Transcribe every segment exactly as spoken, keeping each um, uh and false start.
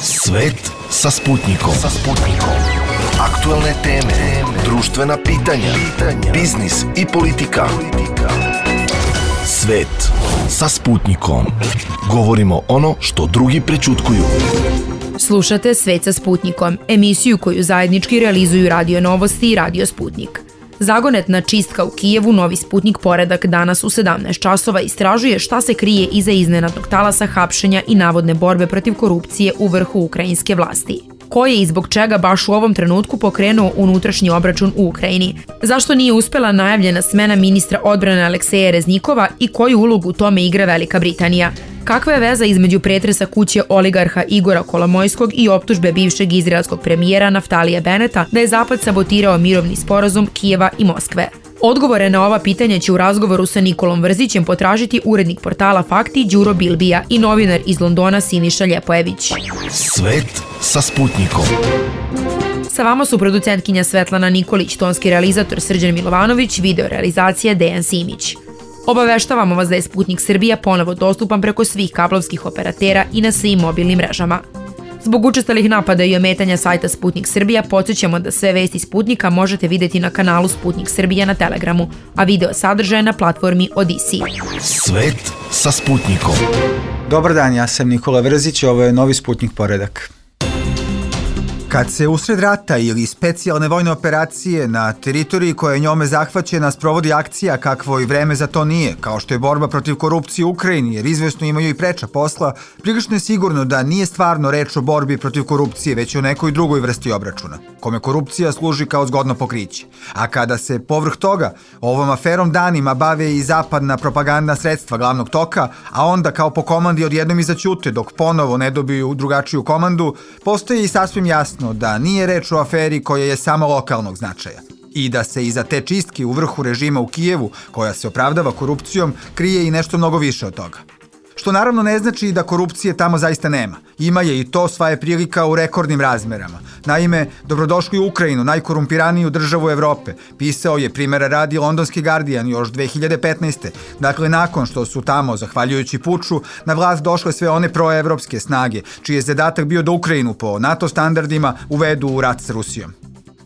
Svet sa Sputnikom. Sa Sputnikom. Aktuelne teme, društvena pitanja, biznis i politika. Svet sa Sputnikom. Govorimo ono što drugi prećutkuju. Slušate Svet sa Sputnikom, emisiju koju zajednički realizuju Radio Novosti i Radio Sputnik. Zagonetna čistka u Kijevu, novi Sputnik poredak danas u sedamnaest časova istražuje šta se krije iza iznenadnog talasa hapšenja i navodne borbe protiv korupcije u vrhu ukrajinske vlasti. Ko je i zbog čega baš u ovom trenutku pokrenuo unutrašnji obračun u Ukrajini? Zašto nije uspela najavljena smena ministra odbrane Alekseja Reznikova i koju ulogu u tome igra Velika Britanija? Kakva je veza između pretresa kuće oligarha Igora Kolomojskog i optužbe bivšeg izraelskog premijera Naftalija Beneta da je Zapad sabotirao mirovni sporazum Kijeva i Moskve? Odgovore na ova pitanja će u razgovoru sa Nikolom Vrzićem potražiti urednik portala Fakti Đuro Bilbija i novinar iz Londona Siniša Ljepojević. Svet sa Sputnikom. Sa vama su producentkinja Svetlana Nikolić, tonski realizator Srđan Milovanović, video realizacija Dejan Simić. Obaveštavamo vas da je Sputnik Srbija ponovo dostupan preko svih kablovskih operatera i na svim mobilnim mrežama. Zbog učestalih napada i ometanja sajta Sputnik Srbija, podsjećamo da sve vesti Sputnika možete vidjeti na kanalu Sputnik Srbija na Telegramu, a video sadržaje na platformi Odisi. Svet sa Sputnikom. Dobar dan, ja sam Nikola Vrzić, ovo je novi Sputnik poredak. Kad se usred rata ili specijalne vojne operacije na teritoriji koja je njome zahvaćena sprovodi akcija kakvo i vreme za to nije, kao što je borba protiv korupcije u Ukrajini, jer izvesno imaju i preča posla, prilično je sigurno da nije stvarno reč o borbi protiv korupcije, već o nekoj drugoj vrsti obračuna, kome korupcija služi kao zgodno pokriće. A kada se povrh toga ovom aferom danima bave i zapadna propagandna sredstva glavnog toka, a onda kao po komandi odjednom i zaćute dok ponovo ne dobiju drugačiju komandu, postoji i sasvim jasno da nije reč o aferi koja je samo lokalnog značaja i da se iza te čistke u vrhu režima u Kijevu, koja se opravdava korupcijom, krije i nešto mnogo više od toga. Što naravno ne znači da korupcije tamo zaista nema. Ima je i to sva je prilika u rekordnim razmerama. Naime, dobrodošli u Ukrajinu, najkorumpiraniju državu Evrope. Pisao je primjera radi londonski Guardian još dve hiljade petnaeste. Dakle, nakon što su tamo, zahvaljujući puču, na vlast došle sve one proevropske snage, čiji je zadatak bio da Ukrajinu po NATO standardima uvedu u rat s Rusijom.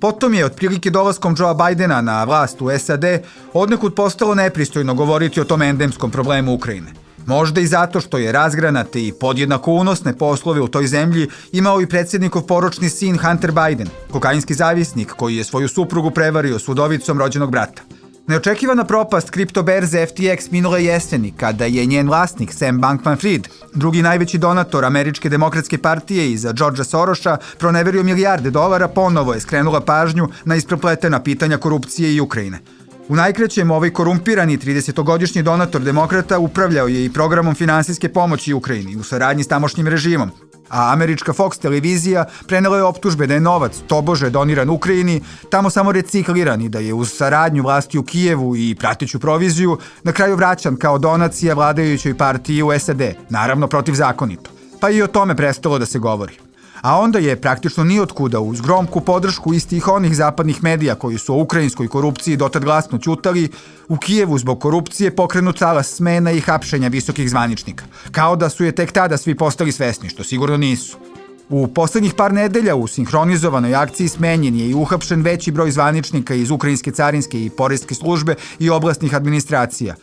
Potom je, otprilike dolaskom Joea Bidena na vlast u S A D, odnekud postalo nepristojno govoriti o tom endemskom problemu Ukrajine. Možda i zato što je razgranate i podjednako unosne poslove u toj zemlji imao i predsjednikov poročni sin Hunter Biden, kokainski zavisnik koji je svoju suprugu prevario s udovicom rođenog brata. Neočekivana propast kriptoberze F T X minule jeseni, kada je njen vlasnik Sam Bankman-Fried, drugi najveći donator Američke demokratske partije iza Georgea Sorosa, proneverio milijarde dolara, ponovo je skrenula pažnju na isprepletena pitanja korupcije i Ukrajine. U najkraćem, ovaj korumpirani tridesetogodišnji donator demokrata upravljao je i programom finansijske pomoći Ukrajini u saradnji s tamošnjim režimom, a američka Fox televizija prenela je optužbe da je novac tobože doniran Ukrajini, tamo samo recikliran i da je uz saradnju vlasti u Kijevu i prateću proviziju na kraju vraćan kao donacija vladajućoj partiji u S A D, naravno protivzakonito. Pa i o tome prestalo da se govori. A onda je praktično nijotkuda uz gromku podršku istih onih zapadnih medija koji su o ukrajinskoj korupciji dotad glasno ćutali, u Kijevu zbog korupcije pokrenut talas smena i hapšenja visokih zvaničnika, kao da su je tek tada svi postali svesni, što sigurno nisu. U poslednjih par nedelja u sinhronizovanoj akciji smenjen je i uhapšen veći broj zvaničnika iz ukrajinske carinske i poreske službe i oblastnih administracija.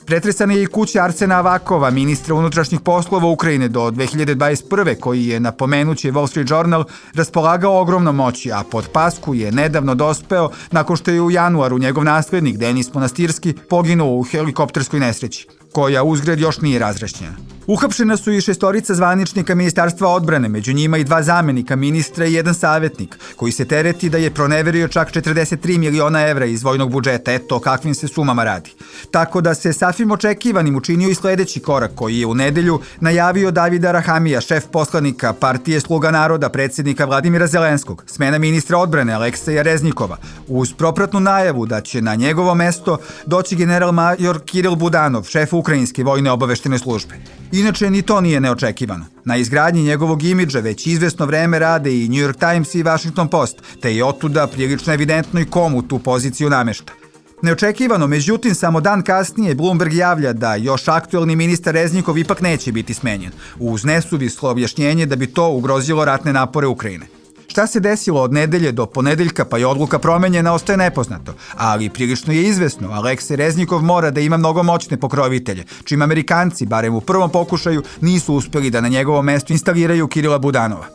Pretresana je i kuća Arsena Avakova, ministra unutrašnjih poslova Ukrajine do dve hiljade dvadeset prve, koji je, napomenući Wall Street Journal, raspolagao ogromnom moći, a pod pasku je nedavno dospeo nakon što je u januaru njegov naslednik, Denis Monastirski, poginuo u helikopterskoj nesreći, koja uzgred još nije razrašćena. Uhapšena su i šestorica zvaničnika Ministarstva odbrane, među njima i dva zamenika ministra i jedan savjetnik, koji se tereti da je proneverio čak četrdeset tri miliona evra iz vojnog budžeta, eto o kakvim se sumama radi. Tako da se sasvim očekivanim učinio i sledeći korak koji je u nedelju najavio Davida Rahamija, šef poslanika partije Sluga naroda, predsjednika Vladimira Zelenskog, smena ministra odbrane Alekseja Reznikova, uz propratnu najavu da će na njegovo mesto doći general major Kiril Budanov, šef ukrajinske vojne obaveštene službe. Inače, ni to nije neočekivano. Na izgradnji njegovog imidža već izvesno vreme rade i New York Times i Washington Post, te je otuda prilično evidentno i komu tu poziciju namešta. Neočekivano, međutim, samo dan kasnije Bloomberg javlja da još aktuelni ministar Reznikov ipak neće biti smenjen, uz nesuvislo objašnjenje da bi to ugrozilo ratne napore Ukrajine. Šta se desilo od nedelje do ponedeljka pa je odluka promenjena ostaje nepoznato, ali prilično je izvesno, Aleksej Reznikov mora da ima mnogo moćne pokrovitelje, čim Amerikanci, barem u prvom pokušaju, nisu uspeli da na njegovom mestu instaliraju Kirila Budanova.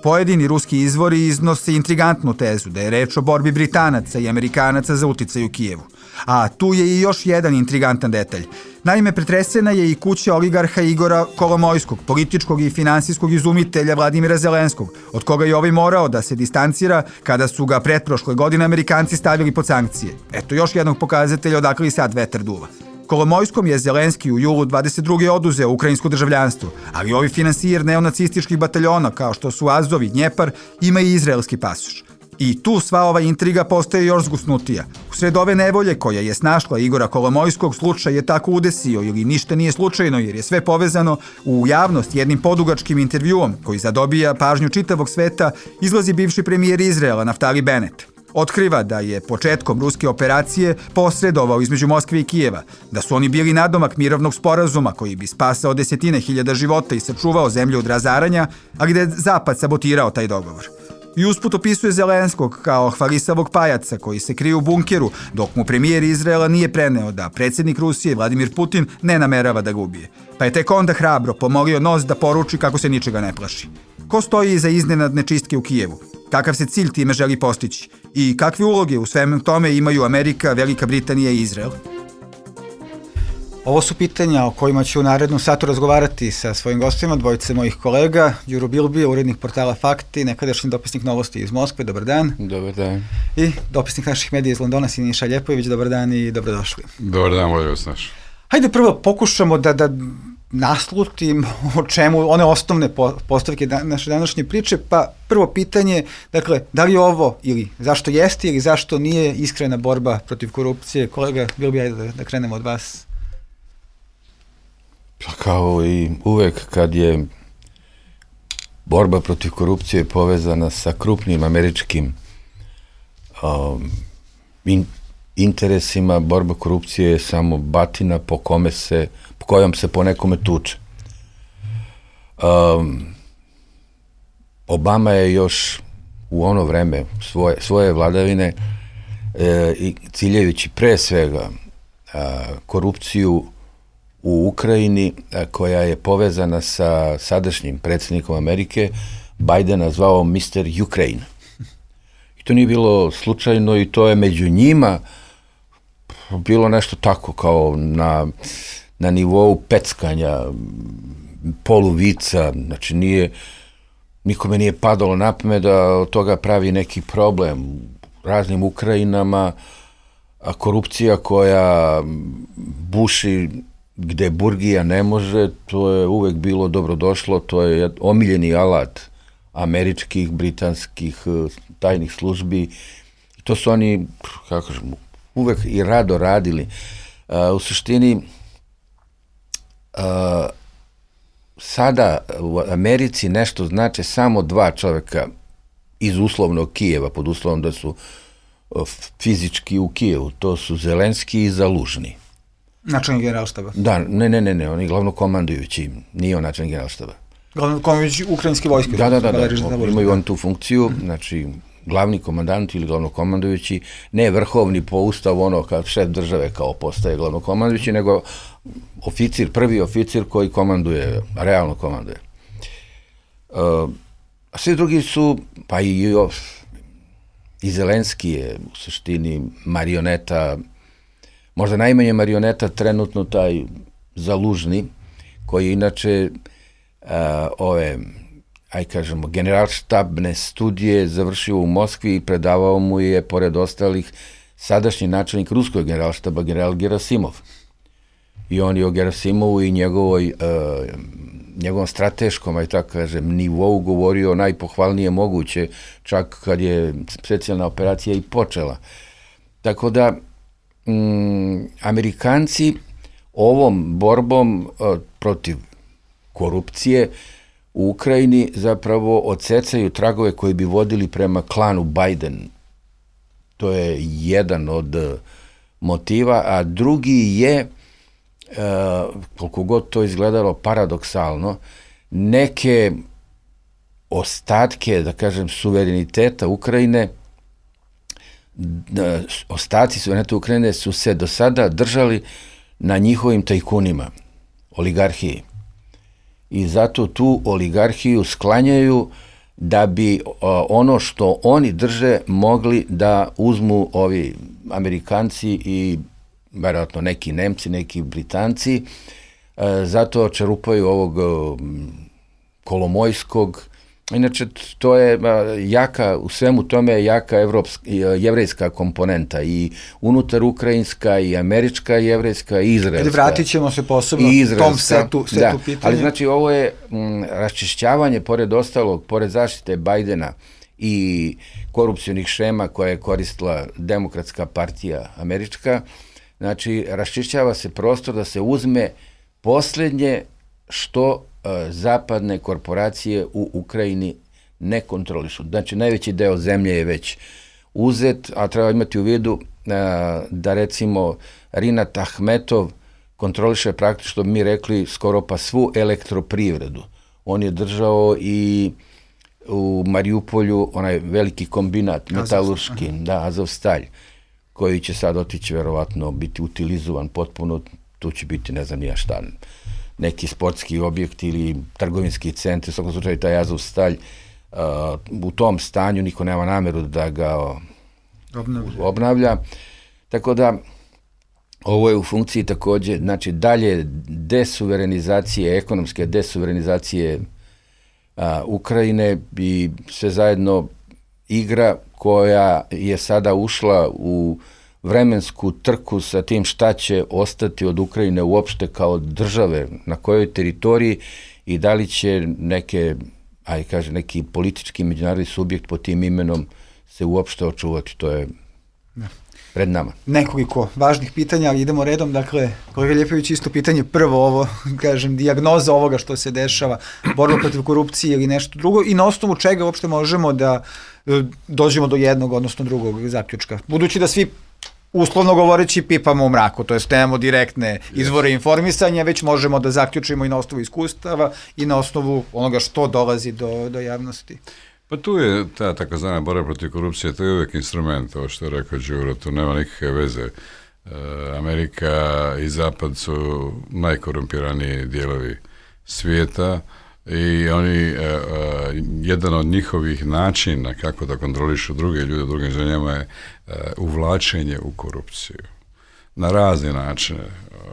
Pojedini ruski izvori iznose intrigantnu tezu da je reč o borbi Britanaca i Amerikanaca za uticaj u Kijevu. A tu je i još jedan intrigantan detalj. Naime, pretresena je i kuća oligarha Igora Kolomojskog, političkog i finansijskog izumitelja Vladimira Zelenskog, od koga je ovaj morao da se distancira kada su ga pretprošle godine Amerikanci stavili pod sankcije. Eto još jednog pokazatelja odakle i sad vetar duva. Kolomojskom je Zelenski u julu dvadeset druge oduzeo ukrajinsko državljanstvo, ali ovi finansijer neonacističkih bataljona, kao što su Azov i Dnjepar, ima i izraelski pasoš. I tu sva ova intriga postaje još zgusnutija. Usred ove nevolje koja je snašla Igora Kolomojskog, slučaj je tako udesio ili ništa nije slučajno jer je sve povezano, u javnost jednim podugačkim intervjuom koji zadobija pažnju čitavog sveta izlazi bivši premijer Izraela Naftali Bennett. Otkriva da je početkom ruske operacije posredovao između Moskve i Kijeva, da su oni bili nadomak mirovnog sporazuma koji bi spasao desetine hiljada života i sačuvao zemlju od razaranja, ali da je Zapad sabotirao taj dogovor. I usput opisuje Zelenskog kao hvalisavog pajaca koji se krije u bunkeru, dok mu premijer Izraela nije preneo da predsjednik Rusije Vladimir Putin ne namerava da ga ubije. Pa je tek onda hrabro pomolio nos da poruči kako se ničega ne plaši. Ko stoji iza iznenadne čistke u Kijevu? Kakav se cilj time želi postići? I kakve uloge u svemu tome imaju Amerika, Velika Britanija i Izrael? Ovo su pitanja o kojima ću u narednom satu razgovarati sa svojim gostima, dvojice mojih kolega, Đuro Bilbija, urednik portala Fakti, nekadašnji dopisnik Novosti iz Moskve, dobar dan. Dobar dan. I dopisnik naših medija iz Londona, Siniša Ljepojević, dobar dan i dobrodošli. Dobar dan, volio vas naš. Hajde prvo pokušamo da, da naslutim o čemu, one osnovne postavke naše današnje priče, pa prvo pitanje, dakle, da li ovo ili zašto jeste ili zašto nije iskrena borba protiv korupcije? Kolega Bilbija, ajde da, da krenemo od vas. Kao i uvek kad je borba protiv korupcije povezana sa krupnim američkim um, in, interesima, borba korupcije je samo batina po kome se, po kojom se po nekome tuče. Um, Obama je još u ono vreme svoje, svoje vladavine e, i ciljevići pre svega a, korupciju u Ukrajini, koja je povezana sa sadašnjim predsjednikom Amerike, Bajdena zvao mister Ukraine. I to nije bilo slučajno i to je među njima bilo nešto tako kao na, na nivou peckanja, poluvica, znači nije, nikome nije padalo na pamet da od toga pravi neki problem raznim Ukrajinama, a korupcija koja buši gde burgija ne može, to je uvek bilo dobrodošlo, to je omiljeni alat američkih, britanskih tajnih službi. To su oni, kako kažem, uvek i rado radili. Uh, u suštini, uh, sada u Americi nešto znači samo dva čoveka iz uslovnog Kijeva, pod uslovom da su uh, fizički u Kijevu, to su Zelenski i Zalužni. Načelnik generalštaba? Da, ne, ne, ne, ne, on je glavno komandujući, nije on načelnik generalštaba. Glavno komandujući ukrajinske vojske? Da, da, da, da, da imaju on tu funkciju, znači glavni komandant ili glavno komandujući, ne vrhovni po ustavu, ono kao šef države kao postaje glavno komandujući, nego oficir, prvi oficir koji komanduje, realno komanduje. Uh, a svi drugi su, pa i, i Zelenski je u suštini marioneta, možda najmanje marioneta trenutno taj Zalužni, koji inače uh, ove, aj kažemo, generalštabne studije završio u Moskvi i predavao mu je, pored ostalih, sadašnji načelnik ruskog generalštaba, general Gerasimov. I on je o Gerasimovu i njegovoj, uh, njegovom strateškom, aj tako kažem, nivou govorio najpohvalnije moguće, čak kad je specijalna operacija i počela. Tako da, Mm, Amerikanci ovom borbom uh, protiv korupcije u Ukrajini zapravo odsecaju tragove koji bi vodili prema klanu Biden. To je jedan od motiva, a drugi je, koliko god to izgledalo paradoksalno, neke ostatke, da kažem, suvereniteta Ukrajine, ostaci suvereniteta Ukrajine su se do sada držali na njihovim tajkunima, oligarhiji. I zato tu oligarhiju sklanjaju da bi ono što oni drže mogli da uzmu ovi Amerikanci i verovatno neki Nemci, neki Britanci, zato čerupaju ovog Kolomojskog. Inače, to je jaka, u svemu tome je jaka evropska, jevrejska komponenta, i unutar ukrajinska, i američka, i jevrejska, i izraelska. Vratit ćemo se posebno tom setu, setu da, pitanja. Ali znači, ovo je m, raščišćavanje, pored ostalog, pored zaštite Bajdena i korupcionih šema koje je koristila Demokratska partija američka, znači, raščišćava se prostor da se uzme poslednje što zapadne korporacije u Ukrajini ne kontrolišu. Znači, najveći deo zemlje je već uzet, a treba imati u vidu da, recimo, Rinat Ahmetov kontroliše praktično, što bi mi rekli, skoro pa svu elektroprivredu. On je držao i u Mariupolju onaj veliki kombinat, metalurški, da, Azovstalj, koji će sad otići, verovatno, biti utilizovan potpuno, tu će biti, ne znam nija šta, neki sportski objekt ili trgovinski centar, u svakom slučaju taj Azovstalj, uh, u tom stanju niko nema nameru da ga obnavlja. obnavlja. Tako da, ovo je u funkciji takođe, znači, dalje desuverenizacije, ekonomske desuverenizacije uh, Ukrajine, i sve zajedno igra koja je sada ušla u vremensku trku sa tim šta će ostati od Ukrajine uopšte kao države, na kojoj teritoriji, i da li će neke, aj kaže, neki politički međunarodni subjekt pod tim imenom se uopšte očuvati. To je pred nama. Nekoliko važnih pitanja, ali idemo redom. Dakle, kolega Ljepović, isto pitanje, prvo ovo, kažem, dijagnoza ovoga što se dešava, borba protiv korupcije ili nešto drugo, i na osnovu čega uopšte možemo da dođemo do jednog, odnosno drugog zaključka. Budući da svi, uslovno govoreći, pipamo u mraku, to jest nemamo direktne izvore informisanja, već možemo da zaključimo i na osnovu iskustava i na osnovu onoga što dolazi do, do javnosti. Pa tu je ta takozvana borba protiv korupcije, to je uvijek instrument, ovo što je rekao Đuro, tu nema nikakve veze. E, Amerika i Zapad su najkorumpiraniji dijelovi svijeta, i oni, e, e, jedan od njihovih načina kako da kontrolišu druge ljude u drugim zemljama je e, uvlačenje u korupciju. Na razne načine.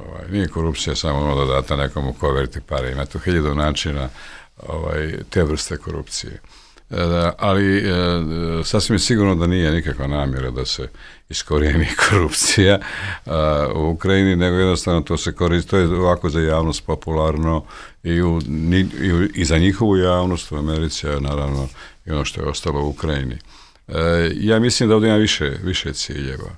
Ovaj, nije korupcija samo ono da date nekomu koverti pare, ima tu hiljadu načina ovaj, te vrste korupcije. E, ali e, sasvim je sigurno da nije nikakva namjera da se iskorijeni korupcija a, u Ukrajini, nego jednostavno to se koristi, to je ovako za javnost popularno, i, u, ni, i, u, i za njihovu javnost u Americi, a naravno i ono što je ostalo u Ukrajini. E, ja mislim da ovdje ima više, više ciljeva.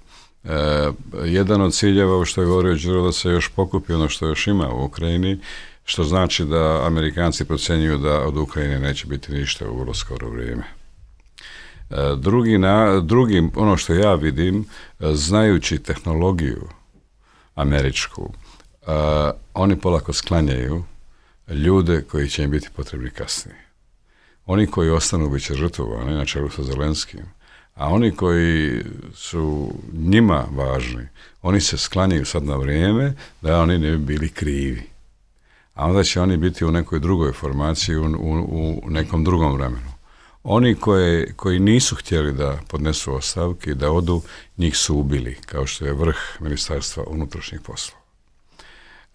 E, jedan od ciljeva, što je govorio Đuro, da se još pokupi ono što još ima u Ukrajini, što znači da Amerikanci procjenjuju da od Ukrajine neće biti ništa u vrlo skoro vrijeme. Drugi, na, drugi, ono što ja vidim, znajući tehnologiju američku, uh, oni polako sklanjaju ljude koji će im biti potrebni kasnije. Oni koji ostanu bit će žrtvovani, na čelu sa Zelenskim, a oni koji su njima važni, oni se sklanjaju sad na vrijeme da oni ne bi bili krivi. A onda će oni biti u nekoj drugoj formaciji, u, u, u nekom drugom vremenu. Oni koje, koji nisu htjeli da podnesu ostavke, da odu, njih su ubili, kao što je vrh Ministarstva unutrašnjih poslova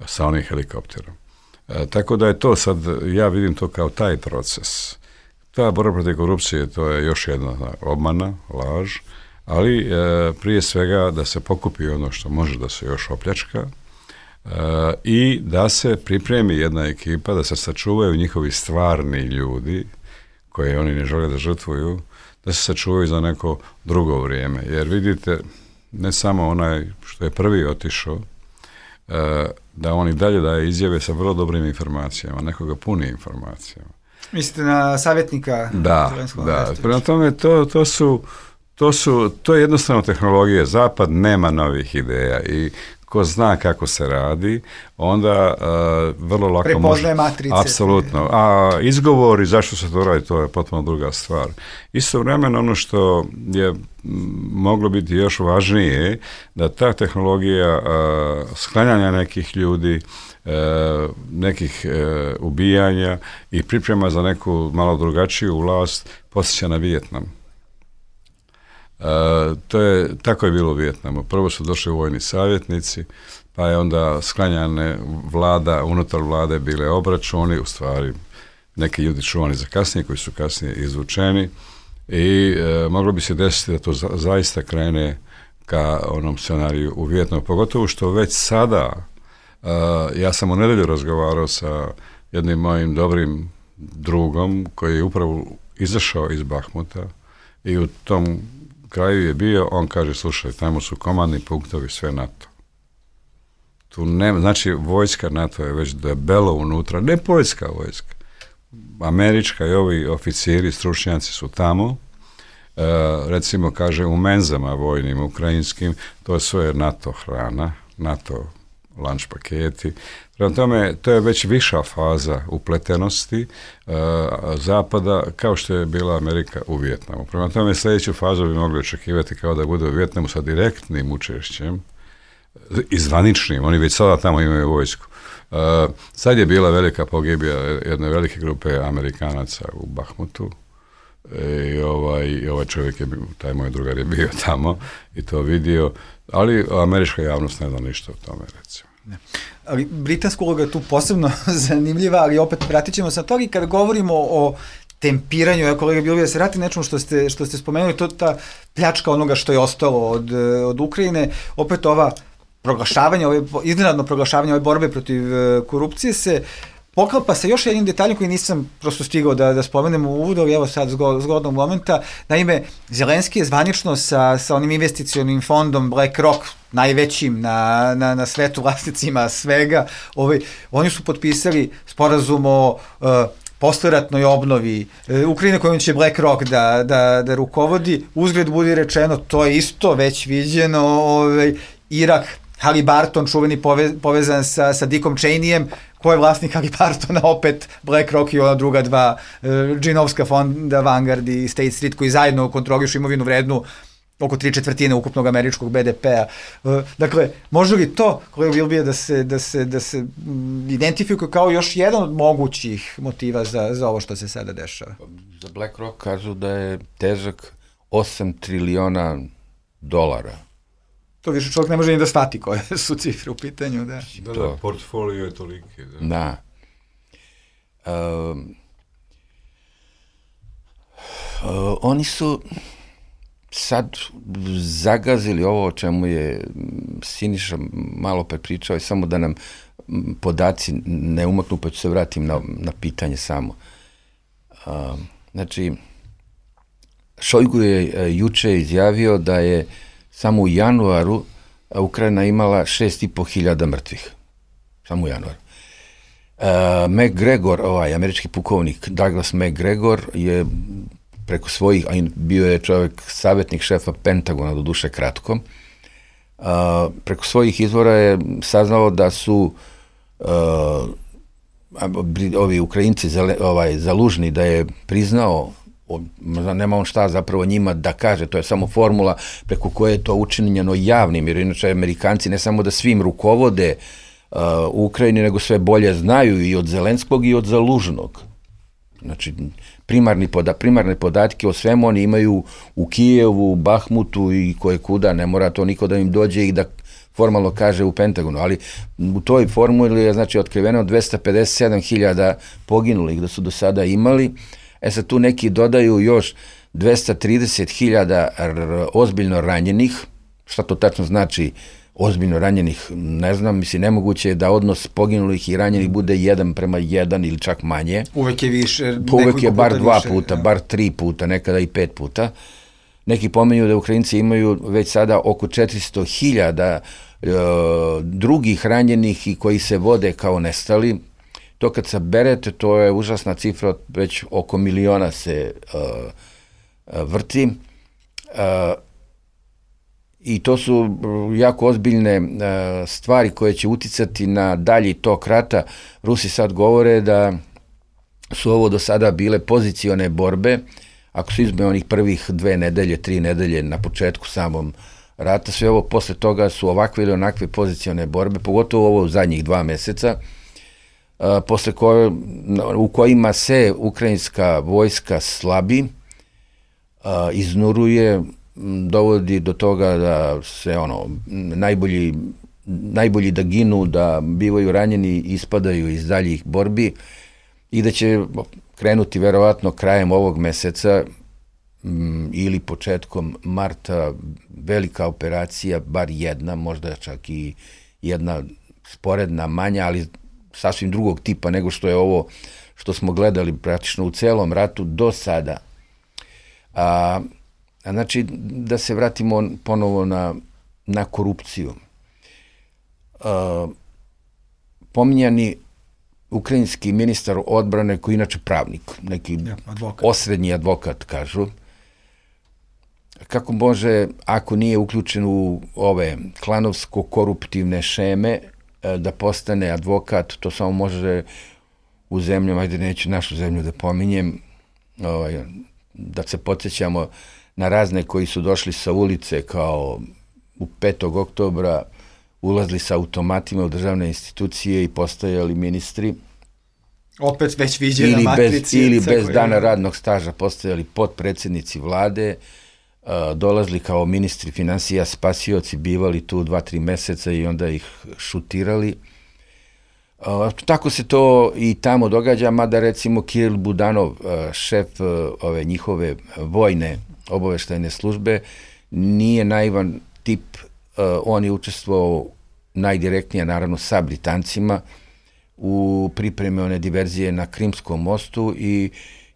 sa onim helikopterom. E, tako da je to sad, ja vidim to kao taj proces. Ta borba protiv korupcije, to je još jedna obmana, laž, ali e, prije svega da se pokupi ono što može da se još opljačka, e, i da se pripremi jedna ekipa, da se sačuvaju njihovi stvarni ljudi, koje oni ne žele da žrtvuju, da se sačuvaju za neko drugo vrijeme. Jer vidite, ne samo onaj što je prvi otišao, da on i dalje daje izjave sa vrlo dobrim informacijama, nekoga puni informacijama. Mislite na savjetnika? Da, da. Prema tome, to, to su to su, to je jednostavno tehnologija. Zapad nema novih ideja i ko zna kako se radi, onda uh, vrlo lako prepoznaje može... matrice. Apsolutno. A izgovori zašto se to radi, to je potpuno druga stvar. Istovremeno ono što je moglo biti još važnije, da ta tehnologija uh, sklanjanja nekih ljudi, uh, nekih uh, ubijanja i priprema za neku malo drugačiju vlast posjeća na Vijetnam. Uh, to je, tako je bilo u Vijetnamu. Prvo su došli vojni savjetnici, pa je onda sklanjane vlada, unutar vlade bile obračuni, u stvari neki ljudi čuvani za kasnije, koji su kasnije izvučeni i uh, moglo bi se desiti da to za, zaista krene ka onom scenariju u Vijetnamu, pogotovo što već sada, uh, ja sam u nedelju razgovarao sa jednim mojim dobrim drugom koji je upravo izašao iz Bahmuta i u tom kraju je bio, on kaže, slušaj, tamo su komandni punktovi, sve NATO. Tu nema, znači vojska NATO je već debelo unutra, ne poljska vojska. Američka i ovi oficiri, stručnjaci su tamo, e, recimo, kaže, u menzama vojnim, ukrajinskim, to je sve NATO hrana, NATO lunch paketi. Prema tome, to je već viša faza upletenosti uh, Zapada, kao što je bila Amerika u Vijetnamu. Prema tome, sljedeću fazu bi mogli očekivati kao da bude u Vijetnamu sa direktnim učešćem i zvaničnim. Oni već sada tamo imaju vojsku. Uh, sad je bila velika pogibija jedne velike grupe Amerikanaca u Bahmutu i ovaj, ovaj čovjek je, taj moj drugar je bio tamo i to vidio, ali američka javnost ne zna ništa o tome, recimo. Ne. Ali britanska uloga je tu posebno zanimljiva, ali opet pratit ćemo sa toga i kada govorimo o tempiranju, ja kolega Bilbija, da se vrati nečemu što ste, što ste spomenuli, to ta pljačka onoga što je ostalo od, od Ukrajine, opet ova proglašavanje, ove, iznenadno proglašavanje ove borbe protiv korupcije se poklapa sa još jednim detaljom koji nisam prosto stigao da, da spomenem u uvodu, ali evo sad zgod, zgodnog momenta. Naime, Zelenski je zvanično sa, sa onim investicionim fondom BlackRock, najvećim na, na, na svetu, vlasnicima svega, ovaj, oni su potpisali sporazum o uh, posleratnoj obnovi uh, Ukrajine kojom će BlackRock da, da, da rukovodi. Uzgled budi rečeno, to je isto već viđeno, ovaj, Irak, Halliburton, čuveni pove, povezan sa, sa Dickom Cheneyem, ko je vlasnik Halliburtona, opet BlackRock i ona druga dva, uh, džinovska fonda Vanguard i State Street, koji zajedno kontrolišu imovinu vrednu oko tri četvrtine ukupnog američkog be de pe-a. Uh, dakle, može li to, kolega Bilbija, da se, da se, da se m, identifikuje kao još jedan od mogućih motiva za, za ovo što se sada dešava? Za BlackRock kažu da je težak osam triliona dolara. To više čovjek ne može ni da shvati koje su cifre u pitanju. Da, da, da portfolio je toliki. Da. Da. Um, uh, oni su sad zagazili ovo o čemu je Siniša malo prepričao i samo da nam podaci ne umaknu, pa ću se vratim na, na pitanje samo. Uh, znači, Šojgu je uh, juče izjavio da je samo u januaru Ukrajina imala šest i po hiljada mrtvih. Samo u januaru. Uh, McGregor, ovaj američki pukovnik Douglas McGregor je preko svojih, a bio je čovjek savjetnik šefa Pentagona, do duše kratko, uh, preko svojih izvora je saznao da su uh, ovi Ukrajinci zale, ovaj, zalužni, da je priznao, nema on šta zapravo njima da kaže, to je samo formula preko koje je to učinjeno javnim, jer inače Amerikanci ne samo da svim rukovode uh, u Ukrajini, nego sve bolje znaju i od Zelenskog i od Zalužnog. Znači, primarni poda, primarne podatke o svemu oni imaju u Kijevu, Bahmutu i koje kuda, ne mora to niko da im dođe i da formalno kaže u Pentagonu, ali u toj formuli je znači otkriveno dvesta pedeset sedam hiljada poginulih da su do sada imali. E sad tu neki dodaju još dvesta trideset hiljada ozbiljno ranjenih. Šta to tačno znači ozbiljno ranjenih? Ne znam, mislim, nemoguće je da odnos poginulih i ranjenih bude jedan prema jedan ili čak manje. Uvek je više. Uvek je bar dva više, puta, ja. bar tri puta, nekada i pet puta. Neki pomenju da Ukrajinci imaju već sada oko četiristo hiljada e, drugih ranjenih i koji se vode kao nestali. To kad saberete, to je užasna cifra, već oko miliona se uh, vrti. Uh, I to su jako ozbiljne stvari koje će uticati na dalji tok rata. Rusi sad govore da su ovo do sada bile pozicione borbe, ako se izme onih prvih dve nedelje, tri nedelje na početku samom rata, sve ovo posle toga su ovakve ili onakve pozicione borbe, pogotovo ovo u zadnjih dva meseca, posle koje, u kojima se ukrajinska vojska slabi, iznuruje, dovodi do toga da se ono, najbolji, najbolji da ginu, da bivaju ranjeni i ispadaju iz daljih borbi i da će krenuti verovatno krajem ovog meseca m, ili početkom marta velika operacija, bar jedna, možda čak i jedna sporedna, manja, ali sasvim drugog tipa nego što je ovo što smo gledali praktično u celom ratu do sada. A, a znači, da se vratimo ponovo na, na korupciju. A, pominjani ukrajinski ministar odbrane, koji inače pravnik, neki ja, advokat. osrednji advokat, kažu, kako može, ako nije uključen u ove klanovsko-koruptivne šeme, da postane advokat, to samo može u zemljama, ajde neću našu zemlju da pominjem, ovaj, da se podsjećamo na razne koji su došli sa ulice kao u petog oktobra, ulazili sa automatima u državne institucije i postajali ministri. Opet već viđena matricija. Ili bez koje... dana radnog staža postajali potpredsednici vlade, uh, dolazili kao ministri finansija, spasioci, bivali tu dva, tri meseca i onda ih šutirali. Uh, tako se to i tamo događa, mada recimo Kiril Budanov, uh, šef uh, ove njihove vojne obaveštajne službe, nije naivan tip. Uh, on je učestvovao najdirektnije, naravno, sa Britancima u pripremi one diverzije na Krimskom mostu i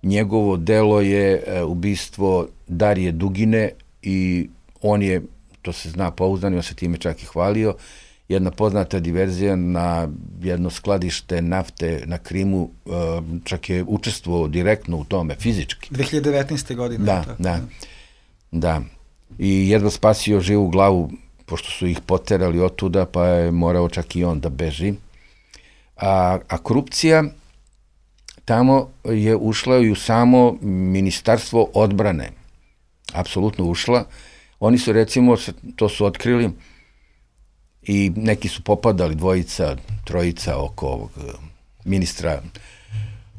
njegovo delo je uh, ubistvo Darije Dugine i on je, to se zna pouzdano, on se time čak i hvalio, jedna poznata diverzija na jedno skladište nafte na Krimu, uh, čak je učestvovao direktno u tome, fizički. dve hiljade devetnaeste. godine. Da, tako. da, da. I jedva spasio živu glavu, pošto su ih poterali otuda, pa je morao čak i on da beži. A, a korupcija tamo je ušla i u samo ministarstvo odbrane. Apsolutno ušla. Oni su, recimo, to su otkrili i neki su popadali, dvojica, trojica oko ovog ministra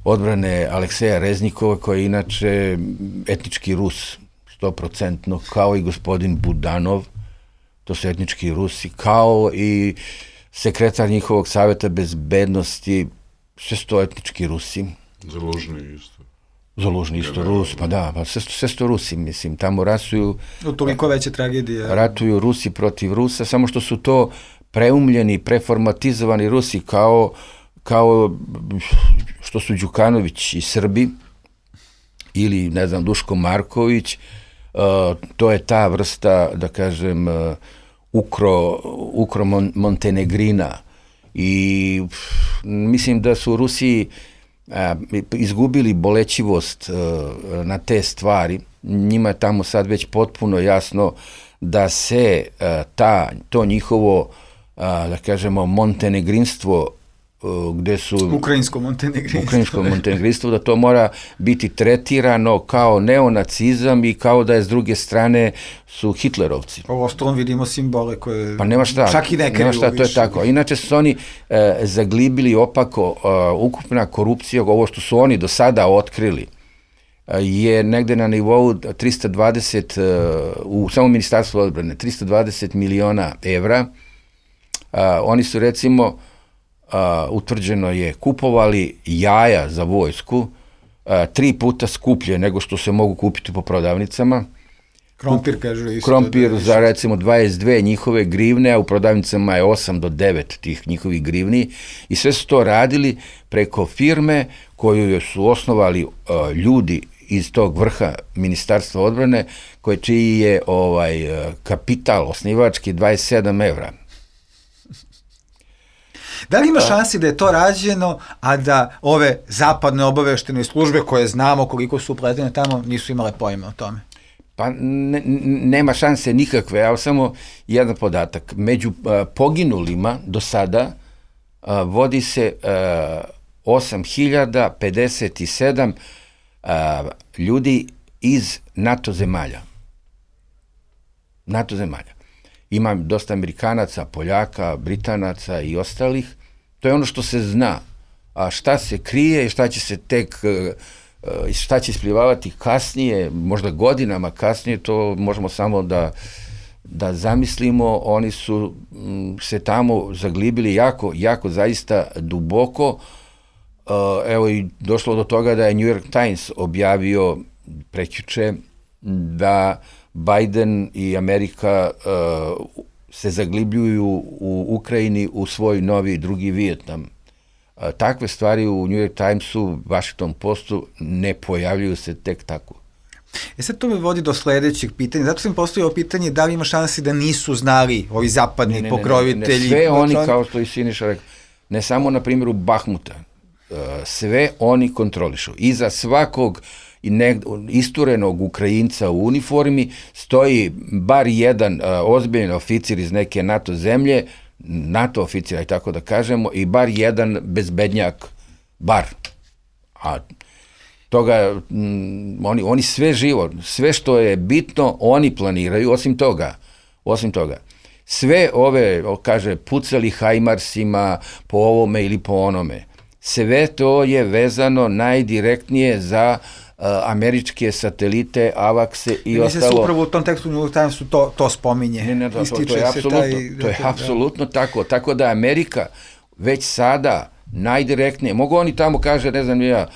odbrane Alekseja Reznikova, koji je inače etnički Rus, sto procentno, kao i gospodin Budanov, to su etnički Rusi, kao i sekretar njihovog saveta bezbednosti, sve sto etnički Rusi. Zalužni isto. Zalužni isto ja, Rus, pa da, pa sve, sve sto Rusi, mislim, tamo rasuju... U toliko veće tragedije. Ratuju Rusi protiv Rusa, samo što su to preumljeni, preformatizovani Rusi, kao, kao što su Đukanović i Srbi, ili, ne znam, Duško Marković. Uh, to je ta vrsta, da kažem, uh, ukro, ukro mon, Montenegrina i pff, mislim da su Rusi uh, izgubili bolećivost uh, na te stvari. Njima je tamo sad već potpuno jasno da se uh, ta, to njihovo, uh, da kažemo, montenegrinstvo, gde su... Ukrajinsko montenegrinstvo. Ukrajinsko montenegrinstvo, da to mora biti tretirano kao neonacizam i kao da je s druge strane su hitlerovci. Ovo ostalom vidimo simbole koje... Pa nema šta, čak i ne nema šta, to je tako. Inače su oni e, zaglibili opako, e, ukupna korupcija, ovo što su oni do sada otkrili, e, je negde na nivou tristo dvadeset, e, u samom ministarstvu odbrane, tristo dvadeset miliona evra. E, oni su, recimo, Uh, utvrđeno je, kupovali jaja za vojsku uh, tri puta skuplje nego što se mogu kupiti po prodavnicama. Krompir, kažu isto. Krompir da za, recimo, dvadeset dve njihove grivne, a u prodavnicama je osam do devet tih njihovih grivni. I sve su to radili preko firme koju su osnovali uh, ljudi iz tog vrha ministarstva odbrane, koje čiji je ovaj, uh, kapital osnivački dvadeset sedam evra. Da li ima šansi da je to rađeno, a da ove zapadne obaveštene službe koje znamo koliko su upletene tamo nisu imale pojma o tome? Pa ne, nema šanse nikakve, ali samo jedan podatak. Među uh, poginulima do sada uh, vodi se uh, osam hiljada pedeset sedam uh, ljudi iz NATO zemalja. NATO zemalja. Ima dosta Amerikanaca, Poljaka, Britanaca i ostalih. To je ono što se zna. A šta se krije, šta će se tek, šta će isplivavati kasnije, možda godinama kasnije, to možemo samo da, da zamislimo. Oni su se tamo zaglibili jako, jako zaista duboko. Evo i došlo do toga da je New York Times objavio prekjuče da Biden i Amerika uh, se zaglibljuju u Ukrajini u svoj novi drugi Vijetnam. Uh, takve stvari u New York Timesu, Washington Postu ne pojavljuju se tek tako. E sad to me vodi do sledećeg pitanja. Zato sam postavio pitanje da li ima šansi da nisu znali ovi zapadni ne, ne, pokrovitelji. Ne, ne, sve oni, kao što i Siniša rekao, ne samo na primjeru Bahmuta, uh, sve oni kontrolišu. Iza svakog i ne, isturenog Ukrajinca u uniformi stoji bar jedan uh, ozbiljan oficir iz neke NATO zemlje, NATO oficira i tako da kažemo, i bar jedan bezbednjak, bar. A toga, m, oni, oni sve živo, sve što je bitno, oni planiraju, osim toga, osim toga. Sve ove, kaže, pucali hajmarsima po ovome ili po onome, sve to je vezano najdirektnije za Uh, američke satelite, avakse i ne, ostalo. Se upravo u tom tekstu New York Timesu to, to spominje. Ne, ne, to, to, to je apsolutno, taj, to je apsolutno da. tako. Tako da Amerika već sada najdirektnije, mogu oni tamo kaže, ne znam ja,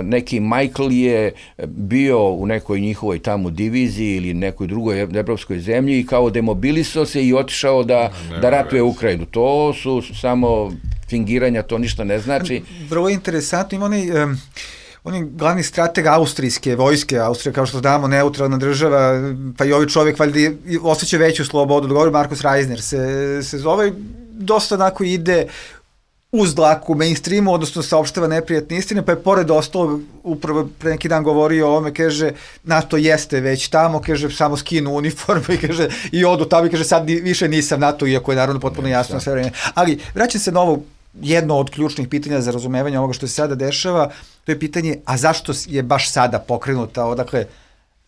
neki Michael je bio u nekoj njihovoj tamo diviziji ili nekoj drugoj evropskoj zemlji i kao demobilisao se i otišao da, ne, da ratuje ne, Ukrajinu. To su samo fingiranja, to ništa ne znači. Vrlo interesantno, ima onaj... Um, On je glavni strateg austrijske vojske, Austrija, kao što znamo, neutralna država, pa i ovi čovjek valjda osjeća veću slobodu. Dogovor Markus Reisner se, se zove, dosta onako ide uz dlaku mainstreamu, odnosno saopštava neprijatne istine, pa je pored ostalog, upravo pre neki dan govorio o ovome, kaže, NATO jeste već tamo, kaže, samo skinu uniformu i kaže, i odu tamo i kaže, sad više nisam NATO, iako je naravno potpuno jasno sve vreme. Ali, vraćam se na ovo, jedno od ključnih pitanja za razumevanje ovoga što se sada dešava, to je pitanje, a zašto je baš sada pokrenuta, odakle,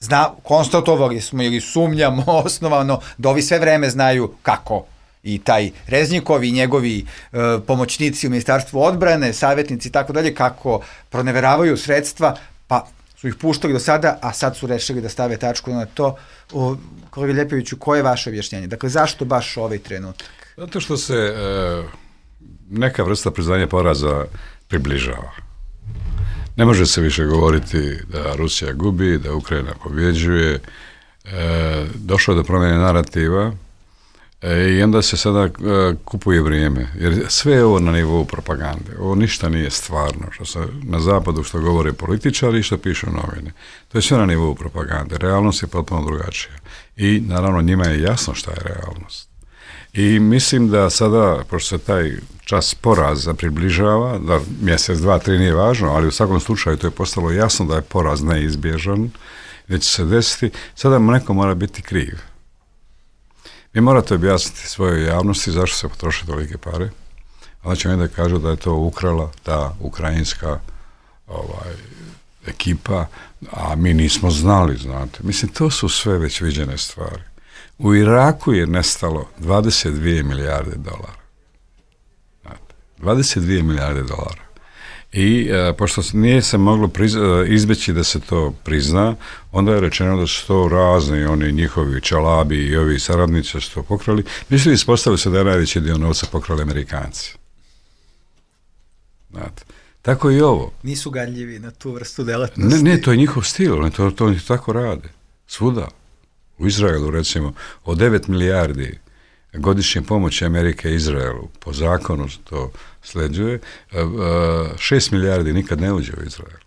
zna, konstatovali smo ili sumnjamo osnovano da ovi sve vreme znaju kako i taj Reznikov i njegovi e, pomoćnici u Ministarstvu odbrane, savjetnici i tako dalje, kako proneveravaju sredstva, pa su ih puštali do sada, a sad su rešili da stave tačku na to. O, kolega Ljepoviću, koje je vaše objašnjenje? Dakle, zašto baš ovaj trenutak? Zato što se e, neka vrsta priznanja poraza približava. Ne može se više govoriti da Rusija gubi, da Ukrajina pobjeđuje. E, došlo je do promjene narativa e, i onda se sada e, kupuje vrijeme. Jer sve je ovo na nivou propagande. Ovo ništa nije stvarno. Što se na zapadu što govore političari i što pišu novine. To je sve na nivou propagande. Realnost je potpuno drugačija. I naravno njima je jasno šta je realnost. I mislim da sada, pošto se taj čas poraza približava, da mjesec, dva, tri nije važno, ali u svakom slučaju to je postalo jasno da je poraz neizbježan, da će se desiti, sada neko mora biti kriv. Vi morate objasniti svojoj javnosti zašto se potroše tolike pare, a će onda kažu da je to ukrala ta ukrajinska ovaj, ekipa, a mi nismo znali, znate. Mislim, to su sve već viđene stvari. U Iraku je nestalo dvadeset dvije milijarde dolara. Znate, dvadeset dvije milijarde dolara. I e, pošto nije se moglo prizna, izbeći da se to prizna, onda je rečeno da su to razni oni njihovi čalabi i ovi saradnici su to pokrali. Mislim, ispostavili se da je najveći dio novca pokrali Amerikanci. Znate, tako i ovo. Nisu gadljivi na tu vrstu delatnosti. Ne, ne, to je njihov stil, ne, to, to oni tako rade. Svuda. U Izraelu, recimo, od devet milijardi godišnje pomoći Amerike Izraelu, po zakonu to sleđuje, šest milijardi nikad ne uđe u Izrael.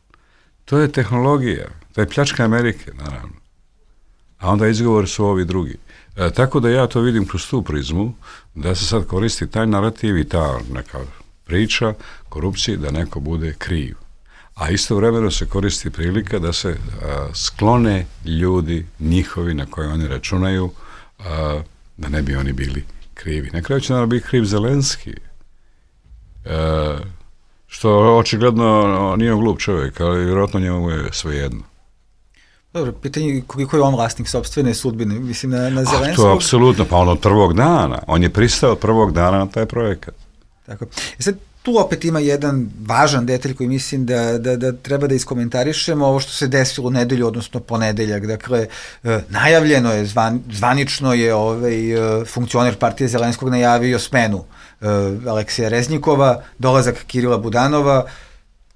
To je tehnologija, to je pljačka Amerike, naravno. A onda izgovor su ovi drugi. E, tako da ja to vidim kroz tu prizmu, da se sad koristi taj narativ i ta neka priča korupcije, da neko bude kriv. a istovremeno se koristi prilika da se a, sklone ljudi njihovi na koje oni računaju, a, da ne bi oni bili krivi. Na kraju će naravno biti kriv Zelenski, a, što očigledno nije glup čovjek, ali vjerojatno njemu je svejedno. Dobro, pitanje koliko je on vlasnik sopstvene sudbine, mislim na, na Zelenskog. A to je apsolutno, pa on od prvog dana, on je pristao od prvog dana na taj projekat. Tako. I sad tu opet ima jedan važan detalj koji mislim da, da, da treba da iskomentarišemo, ovo što se desilo u nedelju, odnosno ponedeljak. Dakle, e, najavljeno je, zvan, zvanično je ovaj, e, funkcioner partije Zelenskog najavio smenu e, Aleksija Reznikova, dolazak Kirila Budanova,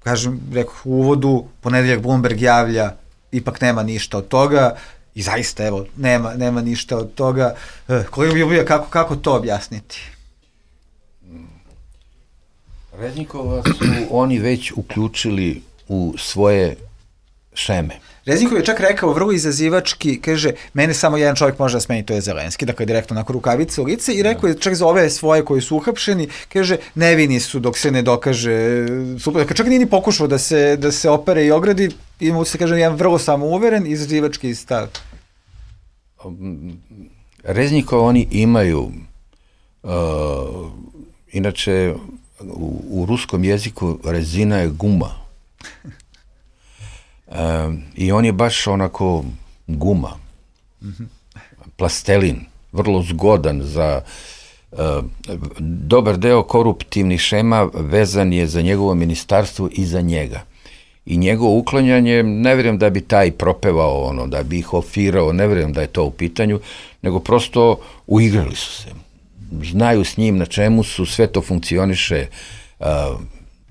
kažem, rekao u uvodu, ponedeljak Bloomberg javlja, ipak nema ništa od toga i zaista, evo, nema, nema ništa od toga. E, kolega Ljubija, kako, kako to objasniti? Reznikova su oni već uključili u svoje šeme. Reznikov je čak rekao vrlo izazivački, kaže, mene samo jedan čovjek može da smeni, to je Zelenski, dakle direktno onako rukavice u lice i rekao je čak za ove svoje koji su uhapšeni, kaže, nevini su dok se ne dokaže, dakle čak nije ni pokušao da se, da se opere i ogradi, ima se kaže jedan vrlo samouveren izazivački stav. Reznikov oni imaju, uh, inače, U, u ruskom jeziku rezina je guma. E, I on je baš onako guma. Plastelin. Vrlo zgodan za e, dobar deo koruptivnih šema vezan je za njegovo ministarstvo i za njega. I njegovo uklanjanje, ne vjerujem da bi taj propevao ono, da bi ih ofirao, ne vjerujem da je to u pitanju, nego prosto uigrali su se. Znaju s njim na čemu su, sve to funkcioniše a,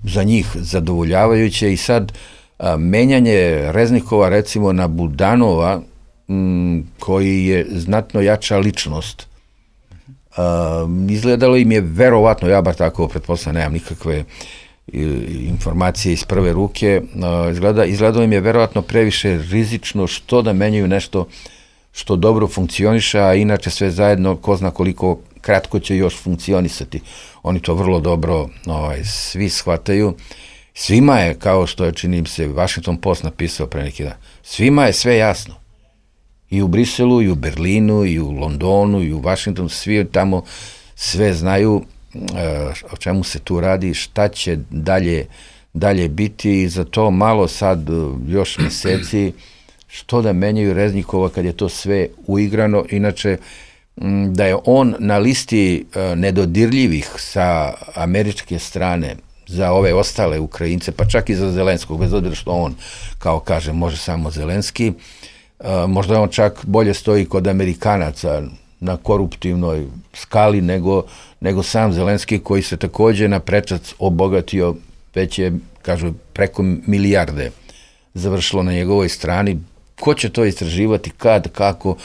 za njih zadovoljavajuće i sad a, menjanje Reznikova recimo na Budanova m, koji je znatno jača ličnost, a, izgledalo im je verovatno, ja bar tako pretpostavljam, nemam nikakve i, informacije iz prve ruke, a, izgleda, izgledalo im je verovatno previše rizično što da menjaju nešto što dobro funkcioniše, a inače sve zajedno ko zna koliko kratko će još funkcionisati. Oni to vrlo dobro ovaj, svi shvataju. Svima je, kao što je, čini mi se, Washington Post napisao pre neki dan, svima je sve jasno. I u Briselu, i u Berlinu, i u Londonu, i u Washingtonu, svi tamo sve znaju e, o čemu se tu radi, šta će dalje, dalje biti i za to malo sad još meseci što da menjaju Reznikova kad je to sve uigrano. Inače, da je on na listi nedodirljivih sa američke strane za ove ostale Ukrajince, pa čak i za Zelenskog, bez obzira što on, kao kaže, može samo Zelenski, možda on čak bolje stoji kod Amerikanaca na koruptivnoj skali nego, nego sam Zelenski, koji se takođe na prečac obogatio, već je, kažu, preko milijarde završilo na njegovoj strani. Ko će to istraživati, kad, kako,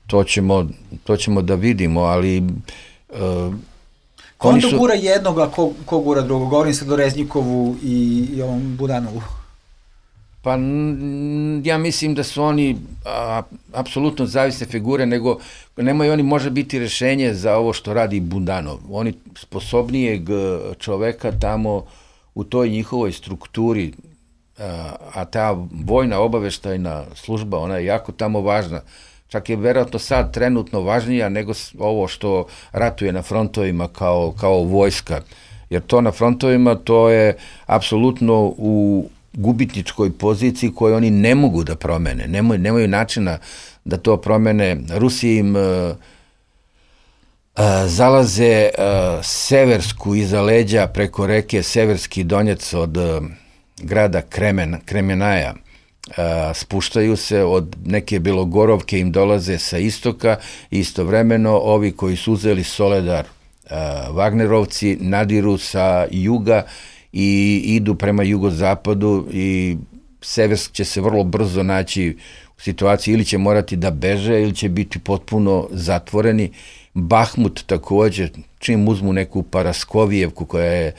to ćemo, to ćemo da vidimo, ali... Uh, ko on to su... gura jednog, a ko, ko gura drugog? Govorim se do Reznikovu i, i ovom Budanovu. Pa n, ja mislim da su oni a, apsolutno zavisne figure, nego nemaju oni može biti rešenje za ovo što radi Budanov. Oni sposobnijeg čoveka tamo u toj njihovoj strukturi, a, a ta vojna obaveštajna služba, ona je jako tamo važna. Čak je verovatno sad trenutno važnija nego ovo što ratuje na frontovima kao, kao vojska. Jer to na frontovima, to je apsolutno u gubitničkoj poziciji koju oni ne mogu da promene. Nemaju, nemaju načina da to promene. Rusi im uh, uh, zalaze uh, seversku iza leđa preko reke Severski Donjec od uh, grada Kremen, Kremenaja. Uh, spuštaju se od neke Belogorovke, im dolaze sa istoka i istovremeno ovi koji su uzeli Soledar, uh, Wagnerovci, nadiru sa juga i idu prema jugozapadu i Seversk će se vrlo brzo naći u situaciji ili će morati da beže ili će biti potpuno zatvoreni. Bahmut takođe, čim uzmu neku Paraskovijevku koja je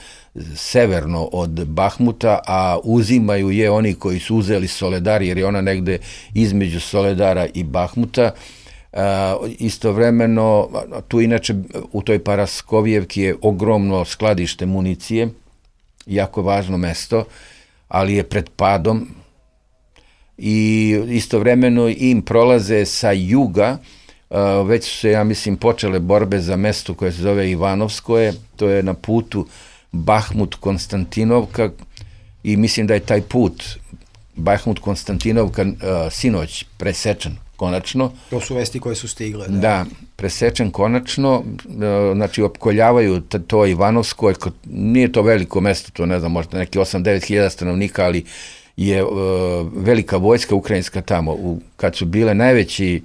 severno od Bahmuta, a uzimaju je oni koji su uzeli Soledar, jer je ona negde između Soledara i Bahmuta. Uh, istovremeno, tu inače u toj Paraskovijevki je ogromno skladište municije, jako važno mesto, ali je pred padom i istovremeno im prolaze sa juga, uh, već su se, ja mislim, počele borbe za mesto koje se zove Ivanovskoje, to je na putu Bahmut-Konstantinovka i mislim da je taj put Bahmut-Konstantinovka uh, sinoć presečen konačno. To su vesti koje su stigle. Da, da presečen konačno, uh, znači opkoljavaju t- to Ivanovsko, nije to veliko mesto, to ne znam, možda neki osam do devet hiljada stanovnika, ali je uh, velika vojska ukrajinska tamo. U, kad su bile najveći,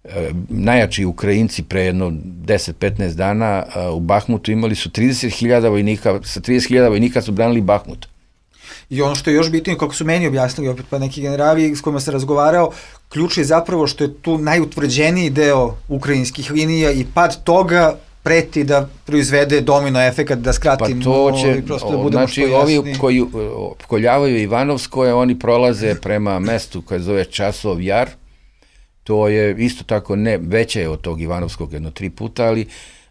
uh, najjači Ukrajinci pre jedno deset do petnaest dana uh, u Bahmutu imali su trideset hiljada vojnika, sa trideset hiljada vojnika su branili Bahmut. I ono što je još bitno, kako su meni objasnili opet pa neki generali s kojima se razgovarao, ključ je zapravo što je tu najutvrđeniji deo ukrajinskih linija i pad toga preti da proizvede domino efekat, da skratim, pa to će, i prosto da budemo znači, što jasni. Ovi koji opkoljavaju Ivanovskoje, oni prolaze prema mestu koje zove Časov Jar, to je isto tako ne veće od tog Ivanovskog jedno tri puta, ali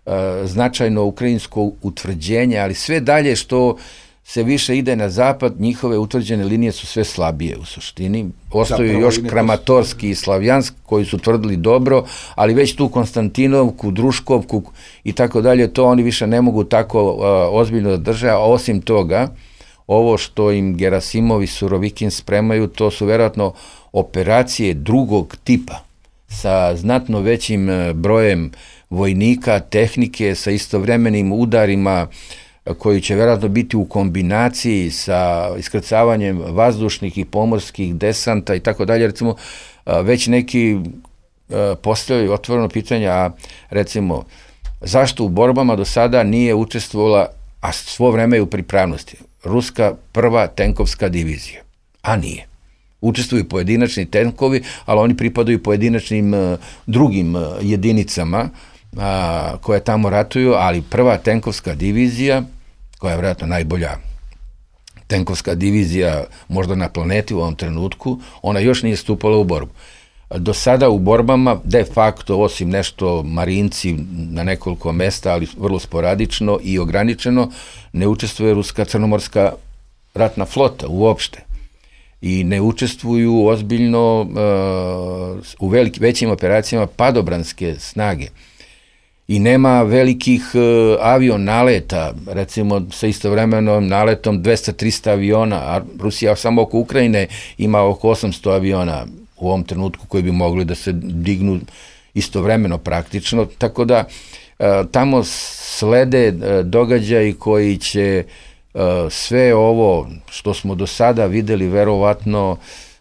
uh, značajno ukrajinsko utvrđenje, ali sve dalje što se više ide na zapad, njihove utvrđene linije su sve slabije u suštini. Ostaju zapravo još Kramatorski i Slavjansk koji su tvrdili dobro, ali već tu Konstantinovku, Druškovku i tako dalje, to oni više ne mogu tako uh, ozbiljno da drže, a osim toga, ovo što im Gerasimov i Surovikin spremaju, to su verovatno operacije drugog tipa, sa znatno većim brojem vojnika, tehnike, sa istovremenim udarima koji će vjerojatno biti u kombinaciji sa iskrcavanjem vazdušnih i pomorskih desanta i tako dalje. Recimo, već neki postavljaju otvoreno pitanje, a recimo, zašto u borbama do sada nije učestvovala, a svo vreme je u pripravnosti, ruska prva tenkovska divizija? A nije. Učestvuju pojedinačni tenkovi, ali oni pripadaju pojedinačnim uh, drugim uh, jedinicama uh, koje tamo ratuju, ali prva tenkovska divizija, koja je vjerojatno najbolja tenkovska divizija možda na planeti u ovom trenutku, ona još nije stupala u borbu. Do sada u borbama, de facto, osim nešto marinci na nekoliko mesta, ali vrlo sporadično i ograničeno, ne učestvuje ruska crnomorska ratna flota uopšte. I ne učestvuju ozbiljno uh, u velik, većim operacijama padobranske snage. I nema velikih uh, avion naleta, recimo sa istovremenom naletom dvesta do trista aviona, a Rusija samo oko Ukrajine ima oko osamsto aviona u ovom trenutku koji bi mogli da se dignu istovremeno praktično, tako da uh, tamo slede uh, događaji koji će uh, sve ovo što smo do sada videli verovatno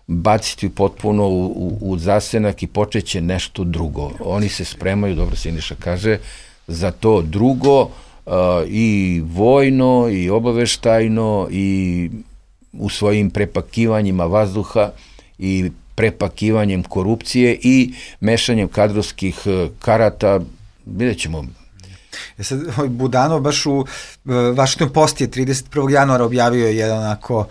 baciti potpuno u, u, u zasenak i počeće nešto drugo. Oni se spremaju, dobro se Siniša kaže, za to drugo uh, i vojno i obaveštajno i u svojim prepakivanjima vazduha i prepakivanjem korupcije i mešanjem kadrovskih karata, vidjet ćemo. E sad, Budanov baš u uh, Washington Post je trideset prvog januara objavio jedan onako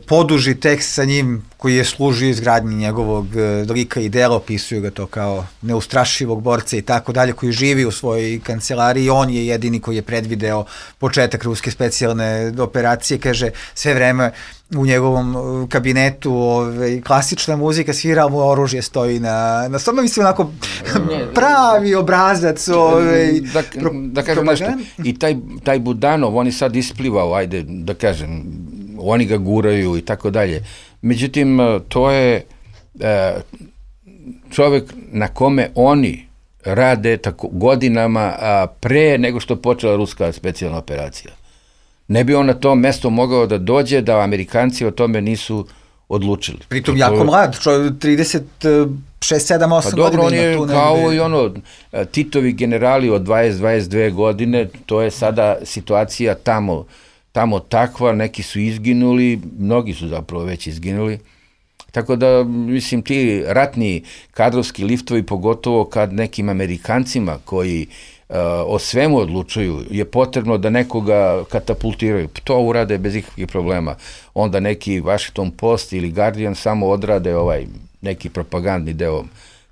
poduži tekst sa njim koji je služio izgradnji njegovog uh, lika i dela, opisuju ga to kao neustrašivog borca i tako dalje, koji živi u svojoj kancelariji. On je jedini koji je predvideo početak ruske specijalne operacije, kaže, sve vreme u njegovom kabinetu ove, klasična muzika, svira mu oružje stoji na, na stvarno mislim onako pravi obrazac. Ove, da, da kažem nešto, i taj, taj Budanov, on je sad isplivao, ajde da kažem, oni ga guraju i tako dalje. Međutim, to je e, čovjek na kome oni rade tako godinama a, pre nego što počela ruska specijalna operacija. Ne bi on na to mesto mogao da dođe da Amerikanci o tome nisu odlučili. Pritom jako to, mlad, čo trideset šest, sedam, osam pa godina. Pa dobro, on je tu kao negde i ono, Titovi generali od dvadeset do dvadeset dve godine, to je sada situacija tamo, tamo takva, neki su izginuli, mnogi su zapravo već izginuli. Tako da, mislim, ti ratni kadrovski liftovi, pogotovo kad nekim Amerikancima koji uh, o svemu odlučuju, je potrebno da nekoga katapultiraju. To urade bez ikakvih problema. Onda neki Washington Post ili Guardian samo odrade ovaj neki propagandni deo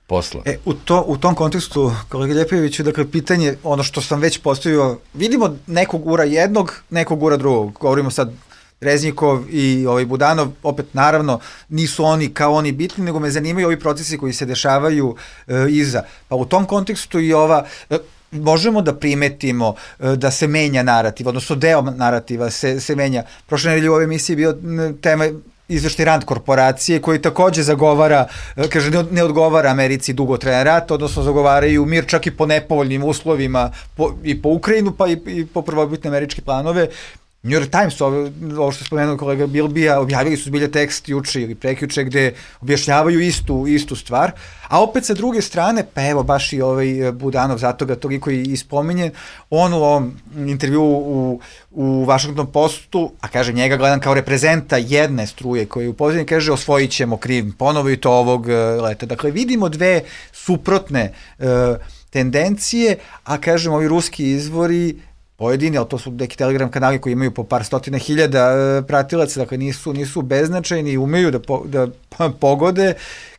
posla. E, u, to, u tom kontekstu, kolega Ljepojeviću, dakle, pitanje, ono što sam već postavio, vidimo nekog ura jednog, nekog ura drugog. Govorimo sad Reznikov i ovaj Budanov, opet naravno nisu oni kao oni bitni, nego me zanimaju ovi procesi koji se dešavaju e, iza. Pa u tom kontekstu i ova, e, možemo da primetimo e, da se menja narativ, odnosno deo narativa se, se menja. Prošle nedelje u ovoj emisiji bio tema izveštaj Rand korporacije koji takođe zagovara, kaže ne, ne odgovara Americi dugotrajan rat, odnosno zagovaraju mir čak i po nepovoljnim uslovima po, i po Ukrajinu pa i, i po prvobitne američke planove. New York Times, ovo, ovo što je spomenuo kolega Bilbija, objavili su zbilje tekst juče ili prekjuče gde objašnjavaju istu, istu stvar, a opet sa druge strane, pa evo baš i ovaj Budanov, zato ga toliko i, i spominje, on u ovom intervju u, u Washington Postu, a kaže njega gledam kao reprezenta jedne struje koji u pozadini kaže osvojit ćemo Krim, ponovo i to ovog uh, leta. Dakle, vidimo dve suprotne uh, tendencije, a kažem ovi ruski izvori pojedini, ali to su neki Telegram kanali koji imaju po par stotina hiljada e, pratilaca, dakle nisu, nisu beznačajni i umeju da, po, da pogode,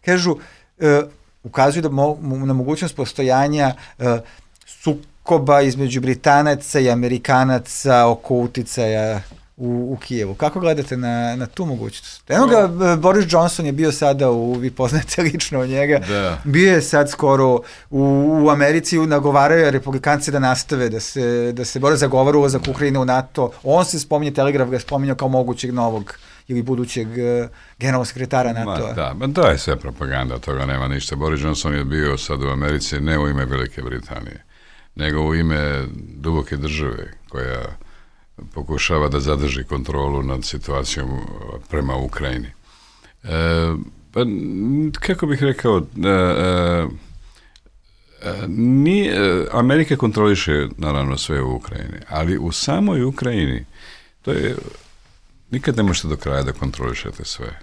kažu, e, ukazuju da mo, na mogućnost postojanja e, sukoba između Britanaca i Amerikanaca oko uticaja u, u Kijevu. Kako gledate na, na tu mogućnost? Eno ga, Boris Johnson je bio sada, u, vi poznate lično njega, da. Bio je sad skoro u, u Americi, nagovaraju republikanci da nastave, da se, da se bore zagovara ulazak Ukrajine u NATO. On se spominje, Telegraf ga je spominjao kao mogućeg novog ili budućeg uh, generalnog sekretara NATO-a. Da, ma da je sve propaganda, toga nema ništa. Boris Johnson je bio sad u Americi ne u ime Velike Britanije, nego u ime duboke države koja pokušava da zadrži kontrolu nad situacijom prema Ukrajini. E, pa, kako bih rekao, e, e, ni, e, Amerika kontroliše naravno sve u Ukrajini, ali u samoj Ukrajini to je, nikad ne možete do kraja da kontrolišete sve,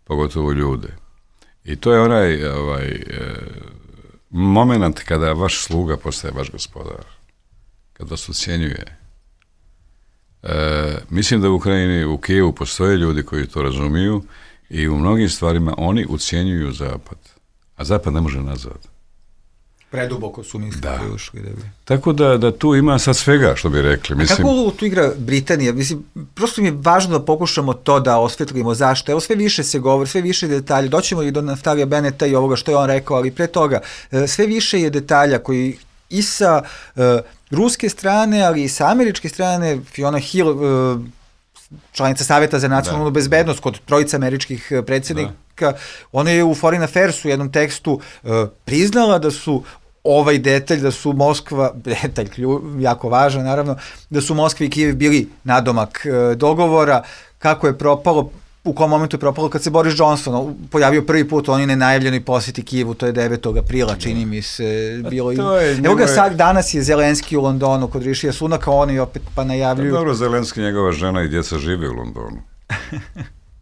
pogotovo ljude. I to je onaj ovaj, e, moment kada vaš sluga postaje vaš gospodar, kada vas ucijenjuje. E, mislim da u Ukrajini, u Kijevu postoje ljudi koji to razumiju i u mnogim stvarima oni ucijenjuju Zapad, a Zapad ne može nazad. Preduboko su misli da. ušli. Da bi. Tako da, da tu ima sad svega, što bi rekli. Mislim... A kako ulogu tu igra Britanija? Mislim, prosto mi je važno da pokušamo to da osvetlimo zašto. Evo sve više se govori, sve više detalja. Doćemo i do Naftalija Beneta i ovoga što je on rekao, ali pre toga sve više je detalja koji i sa uh, ruske strane, ali i sa američke strane, Fiona Hill, uh, članica Saveta za nacionalnu da. bezbednost kod trojica američkih predsjednika, da. ona je u Foreign Affairs u jednom tekstu uh, priznala da su ovaj detalj, da su Moskva, detalj jako važan naravno, da su Moskva i Kijev bili nadomak uh, dogovora, kako je propalo, u kom momentu je propalo kad se Boris Johnson pojavio prvi put u onoj nenajavljenoj posjeti Kijevu, to je devetog aprila, čini mi se, bilo i... Evo ga sad, danas je Zelenski u Londonu kod Rišija Sunaka, oni opet pa najavljuju... Dobro, Zelenski, njegova žena i djeca žive u Londonu.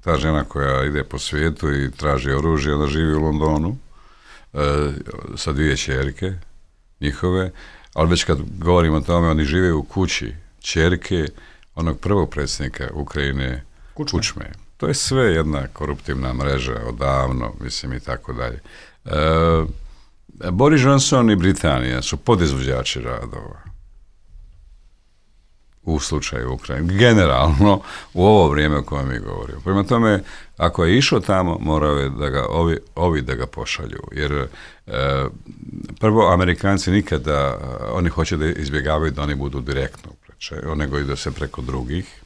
Ta žena koja ide po svijetu i traži oružje, ona živi u Londonu, e, sa dvije ćerke njihove, ali već kad govorimo o tome, oni žive u kući ćerke onog prvog predsjednika Ukrajine, Kučme. Kučme. To je sve jedna koruptivna mreža odavno, mislim i tako dalje. E, Boris Johnson i Britanija su podizvođači radova u slučaju Ukrajine, generalno u ovo vrijeme o kojem mi govorimo. Prema tome, ako je išao tamo, morao je da ga ovi, ovi da ga pošalju, jer e, prvo, Amerikanci nikada, oni hoće da izbjegavaju da oni budu direktno upreče, nego i da se preko drugih.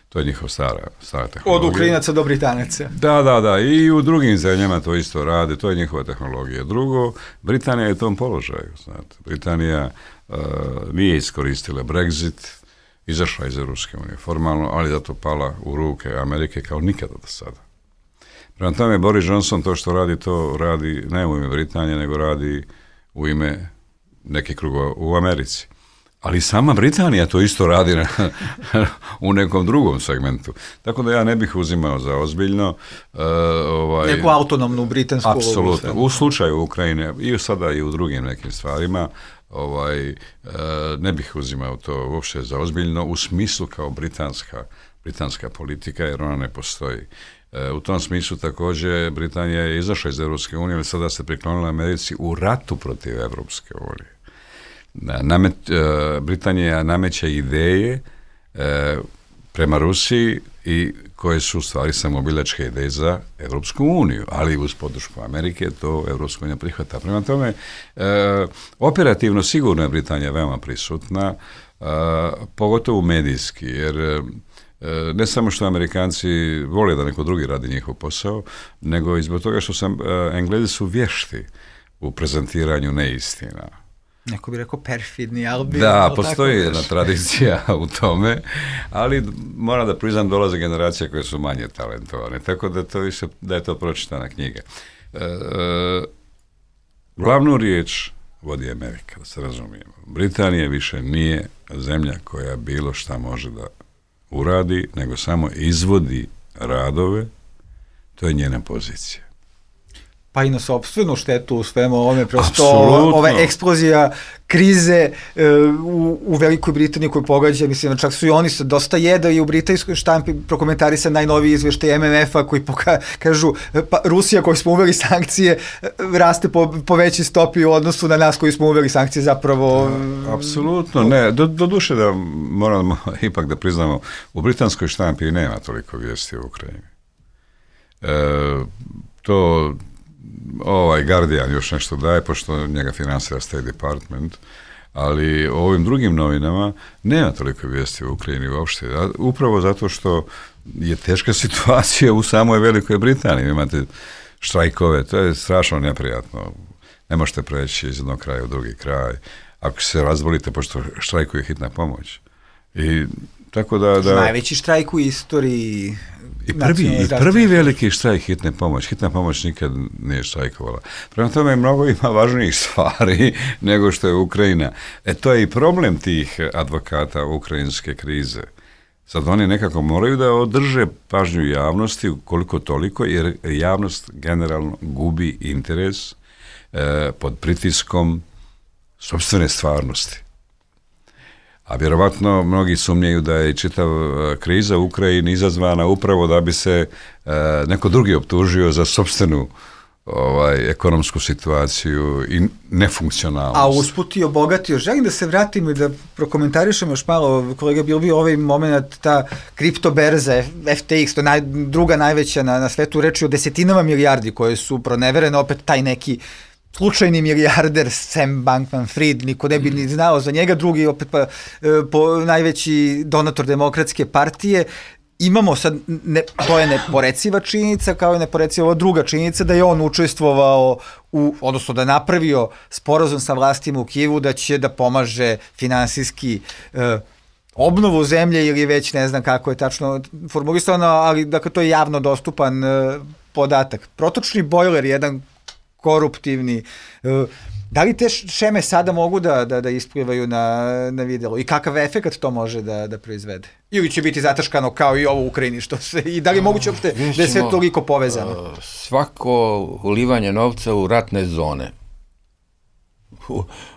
To je njihov stara, stara tehnologija. Od Ukrajinaca do Britanaca. Da, da, da. I u drugim zemljama to isto rade. To je njihova tehnologija. Drugo, Britanija je u tom položaju. Znate. Britanija uh, nije iskoristila Brexit, izašla iz Europske unije formalno, ali zato pala u ruke Amerike kao nikada do sada. Prema tome, Boris Johnson to što radi, to radi ne u ime Britanije, nego radi u ime nekih krugova u Americi. Ali sama Britanija to isto radi na, u nekom drugom segmentu. Tako da ja ne bih uzimao za ozbiljno. Uh, ovaj, Neku autonomnu britansku. Apsolutno. U slučaju Ukrajine i sada i u drugim nekim stvarima ovaj, uh, ne bih uzimao to uopšte za ozbiljno u smislu kao britanska, britanska politika, jer ona ne postoji. Uh, u tom smislu također Britanija je izašla iz Europske unije, ali sada se priklonila Americi u ratu protiv Europske unije. Namet, uh, Britanija nameće ideje uh, prema Rusiji i koje su u stvari samobiljačke ideje za Evropsku uniju, ali uz podršku Amerike to Evropska unija prihvata. Prema tome, e, operativno sigurno je Britanija veoma prisutna, e, pogotovo medijski, jer e, ne samo što Amerikanci vole da neko drugi radi njihov posao, nego i zbog toga što sam, e, Englezi su vješti u prezentiranju neistina. Neko bi rekao perfidni, ali bi... Da, postoji jedna tradicija u tome, ali moram da priznam, dolaze generacije koje su manje talentovane, tako da, to više, da je to pročitana knjiga. E, e, glavnu riječ vodi Amerika, da se razumijemo. Britanija više nije zemlja koja bilo šta može da uradi, nego samo izvodi radove, to je njena pozicija. Pa i na sopstvenu štetu u svemu ovome, prosto ova eksplozija krize e, u, u Velikoj Britaniji koju pogađa, mislim, čak su i oni se dosta jedali u britanskoj štampi prokomentarisa najnoviji izveštaj M M F-a koji poka, kažu, pa Rusija koju smo uveli sankcije raste po, po većoj stopi u odnosu na nas koji smo uveli sankcije zapravo... Da, apsolutno, ne, do, do duše da moramo ipak da priznamo, u britanskoj štampi nema toliko vijesti u Ukrajini. E, to... ovaj Guardian još nešto daje, pošto njega finansira State Department, ali o ovim drugim novinama nema toliko vijesti u Ukrajini uopšte, upravo zato što je teška situacija u samoj Velikoj Britaniji. Imate štrajkove, to je strašno neprijatno. Ne možete preći iz jednog kraja u drugi kraj. Ako se razbolite, pošto štrajkuje hitna pomoć. I tako da... da... Najveći štrajk u istoriji... I prvi, i prvi veliki štrajk hitne pomoć. Hitna pomoć nikad nije štrajkovala. Prema tome, mnogo ima važnijih stvari nego što je Ukrajina. E, to je i problem tih advokata ukrajinske krize. Sad oni nekako moraju da održe pažnju javnosti koliko toliko, jer javnost generalno gubi interes e, pod pritiskom sopstvene stvarnosti. A vjerovatno mnogi sumnjaju da je čitav kriza u Ukrajini izazvana upravo da bi se e, neko drugi optužio za sopstvenu ovaj, ekonomsku situaciju i nefunkcionalnost. A usput i obogatio. Želim da se vratim i da prokomentarišem još malo, kolega Bilbi, ovaj moment, ta kriptoberza F T X, to je naj, druga najveća na, na svetu, reči o desetinama milijardi koje su proneverene, opet taj neki slučajni milijarder Sam Bankman-Fried, niko ne bi ni znao za njega, drugi opet pa po, najveći donator Demokratske partije. Imamo sad, ne, to je neporeciva činjenica, kao je neporeciva ova druga činjenica da je on učestvovao u, odnosno da napravio sporazum sa vlastima u Kijevu da će da pomaže finansijski eh, obnovu zemlje ili već ne znam kako je tačno formulisano, ali dakle to je javno dostupan eh, podatak. Protočni bojler je jedan koruptivni. Da li te šeme sada mogu da, da, da isplivaju na, na videlo i kakav efekt to može da, da proizvede? Ili će biti zataškano kao i ovo u Ukrajini, što se, i da li je moguće uopšte da je sve toliko povezano? Svako ulivanje novca u ratne zone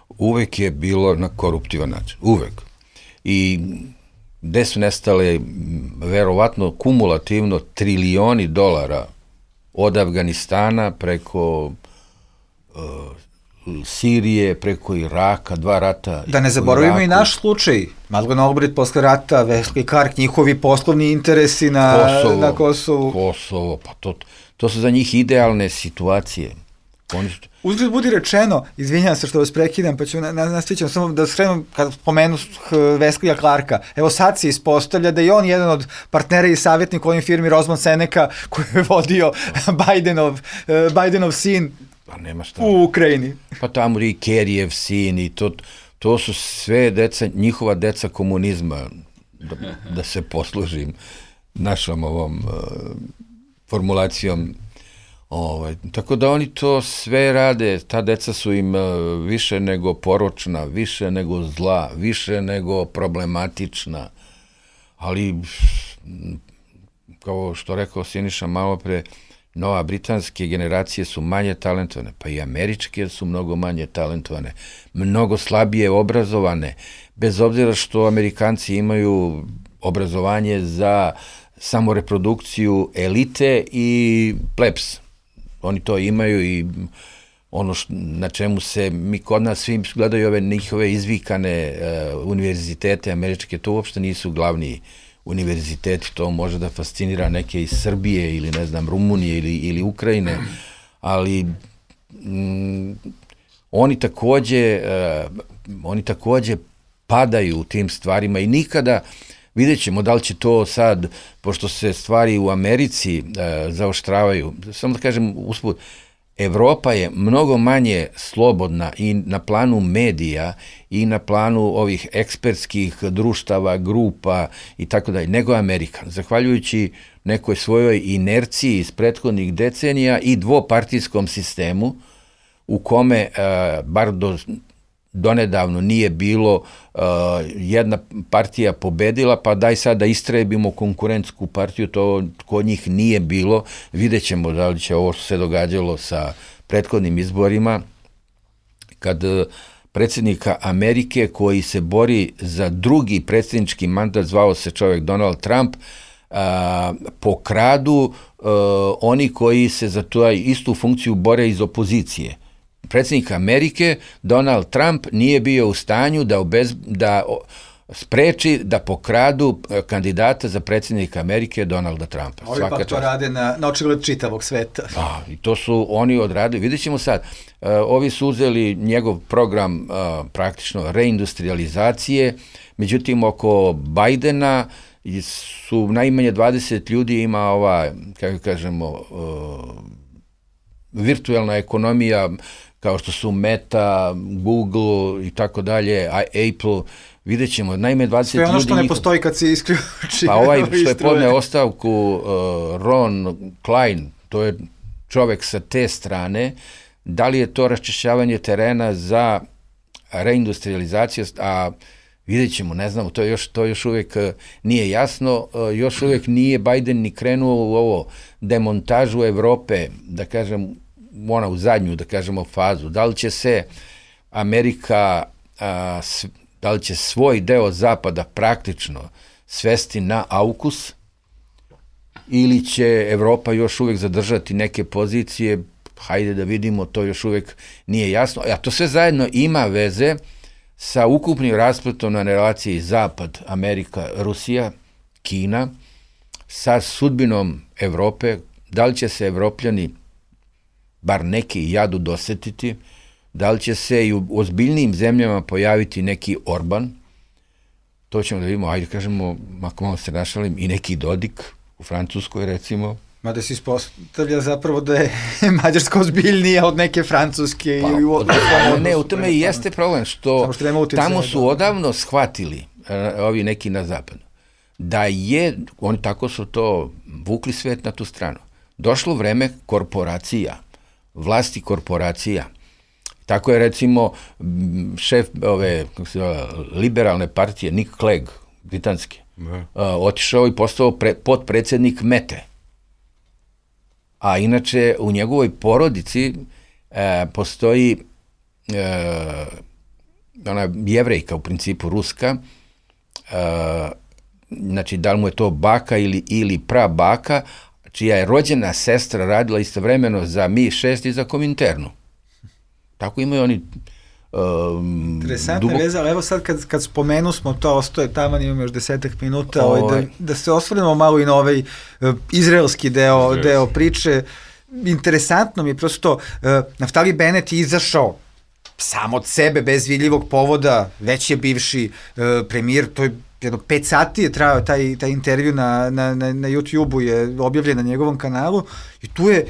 uvek je bilo na koruptivan način. Uvek. I gde su nestale verovatno kumulativno trilioni dolara od Afganistana preko uh, Sirije, preko Iraka, dva rata. Da ne zaboravimo i naš slučaj. Madeleine Albright posle rata, Wesley Clark, njihovi poslovni interesi na Kosovo. Na Kosovu. Kosovo, pa to, to su za njih idealne situacije. Oni su... Uzgled budi rečeno, izvinjam se što vas prekidam, pa ću na, na, nastićem samo da skrenem, kad spomenu Wesley Clarka, evo sad se ispostavlja da je on jedan od partnera i savjetnika u ovim firmi Rosman Seneca koji je vodio Bidenov, uh, Bidenov sin pa nema šta. U Ukrajini. Pa tamo i Kerrijev sin i to, to su sve deca, njihova deca komunizma, da, da se poslužim našom ovom uh, formulacijom. Ovaj, tako da oni to sve rade, ta deca su im uh, više nego poročna, više nego zla, više nego problematična, ali kao što rekao Siniša malo pre, nova britanske generacije su manje talentovane, pa i američke su mnogo manje talentovane, mnogo slabije obrazovane, bez obzira što Amerikanci imaju obrazovanje za samoreprodukciju elite i plebs. Oni to imaju i ono š, na čemu se mi kod nas svi gledaju ove njihove izvikane uh, univerzitete američke, to uopšte nisu glavni univerziteti, to može da fascinira neke iz Srbije ili ne znam Rumunije ili, ili Ukrajine, ali mm, oni takođe uh, oni takođe padaju u tim stvarima i nikada, vidjet ćemo da li će to sad, pošto se stvari u Americi uh, zaoštravaju, samo da kažem usput, Evropa je mnogo manje slobodna i na planu medija i na planu ovih ekspertskih društava, grupa i tako dalje, nego Amerika. Zahvaljujući nekoj svojoj inerciji iz prethodnih decenija i dvopartijskom sistemu u kome, uh, bar do donedavno nije bilo uh, jedna partija pobedila, pa daj sad da istrebimo konkurentsku partiju, to kod njih nije bilo. Vidjet ćemo da li će ovo što se događalo sa prethodnim izborima, kad uh, predsjednika Amerike koji se bori za drugi predsjednički mandat, zvao se čovjek Donald Trump, uh, pokradu uh, oni koji se za tu istu funkciju bore iz opozicije. Predsjednik Amerike, Donald Trump, nije bio u stanju da, obez, da spreči da pokradu kandidata za predsjednika Amerike, Donalda Trumpa. Ovi pa to rade na, na očigled čitavog sveta. Da, i to su oni odradili. Vidjet ćemo sad, uh, ovi su uzeli njegov program uh, praktično reindustrializacije, međutim oko Bajdena su najmanje dvadeset ljudi ima ova, kako kažemo, uh, virtualna ekonomija, kao što su Meta, Google i tako dalje, Apple, vidjet ćemo, najme dvadeset ljudi... Sve ono što ljudi ne postoji kad se isključi. Pa ovaj što je podneo ostavku uh, Ron Klein, to je čovek sa te strane, da li je to raščišćavanje terena za reindustrializaciju, a vidjet ćemo, ne znamo, to još, to još uvijek nije jasno, još uvijek nije Biden ni krenuo u ovo demontažu Evrope, da kažem, ona u zadnju, da kažemo, fazu. Da li će se Amerika, a, s, da li će svoj deo zapada praktično svesti na aukus ili će Evropa još uvijek zadržati neke pozicije, hajde da vidimo, to još uvijek nije jasno. A to sve zajedno ima veze sa ukupnim raspletom na relaciji Zapad, Amerika, Rusija, Kina, sa sudbinom Evrope, da li će se Evropljani bar neki jadu dosetiti, da li će se i u ozbiljnijim zemljama pojaviti neki Orban, to ćemo da vidimo, ajde kažemo, ako malo se našalim, i neki Dodik u Francuskoj recimo. Mada se ispostavlja zapravo da je Mađarska ozbiljnija od neke Francuske. Pa, ili u, od, od, ne, u tome i jeste problem, što, što tamo su odavno shvatili, uh, ovi neki na zapadu, da je, oni tako su to vukli svet na tu stranu. Došlo vreme korporacija, vlasti korporacija. Tako je recimo šef ove kako se zove, liberalne partije Nick Clegg, britanski, uh, otišao i postao pre, potpredsjednik Mete. A inače u njegovoj porodici uh, postoji uh, ona jevrejka u principu ruska, uh, znači da li mu je to baka ili, ili prabaka, čija je rođena sestra radila istovremeno za Mi šest i za Kominternu. Tako imaju oni um, interesantna dubok... veza, ali evo sad kad, kad spomenu smo to, ostoje taman, imamo još desetak minuta, o... ovaj, da, da se osvrnemo malo i na ovaj uh, izraelski deo, yes. deo priče. Interesantno mi je prosto, uh, Naftali Bennett je izašao sam od sebe, bez vidljivog povoda, već je bivši uh, premijer, to je jedno pet sati je trajao taj, taj intervju na, na, na, na YouTube-u, je objavljen na njegovom kanalu i tu je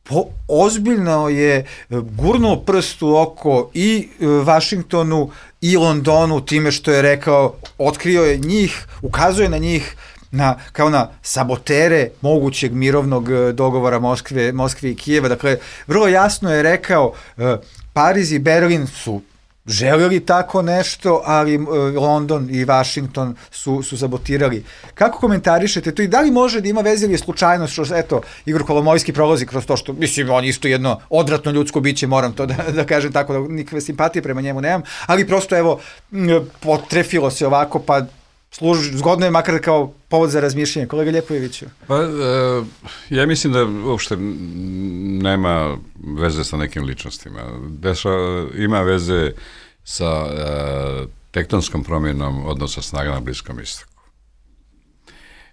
po, ozbiljno je gurnuo prst u oko i Vašingtonu i Londonu time što je rekao, otkrio je njih, ukazuje na njih na, kao na sabotere mogućeg mirovnog dogovora Moskve, Moskve i Kijeva. Dakle, vrlo jasno je rekao, Pariz i Berlin su želeli tako nešto, ali London i Washington su, su sabotirali. Kako komentarišete to i da li može da ima veze ili je slučajnost što, eto, Igor Kolomojski prolazi kroz to što, mislim, on isto jedno odvratno ljudsko biće, moram to da, da kažem tako, da nikakve simpatije prema njemu nemam, ali prosto, evo, potrefilo se ovako, pa služi, zgodno je makar kao povod za razmišljanje. Kolega Ljepojeviću. Pa, e, ja mislim da uopšte nema veze sa nekim ličnostima. Deša, ima veze sa e, tektonskom promjenom odnosa snaga na Bliskom istoku.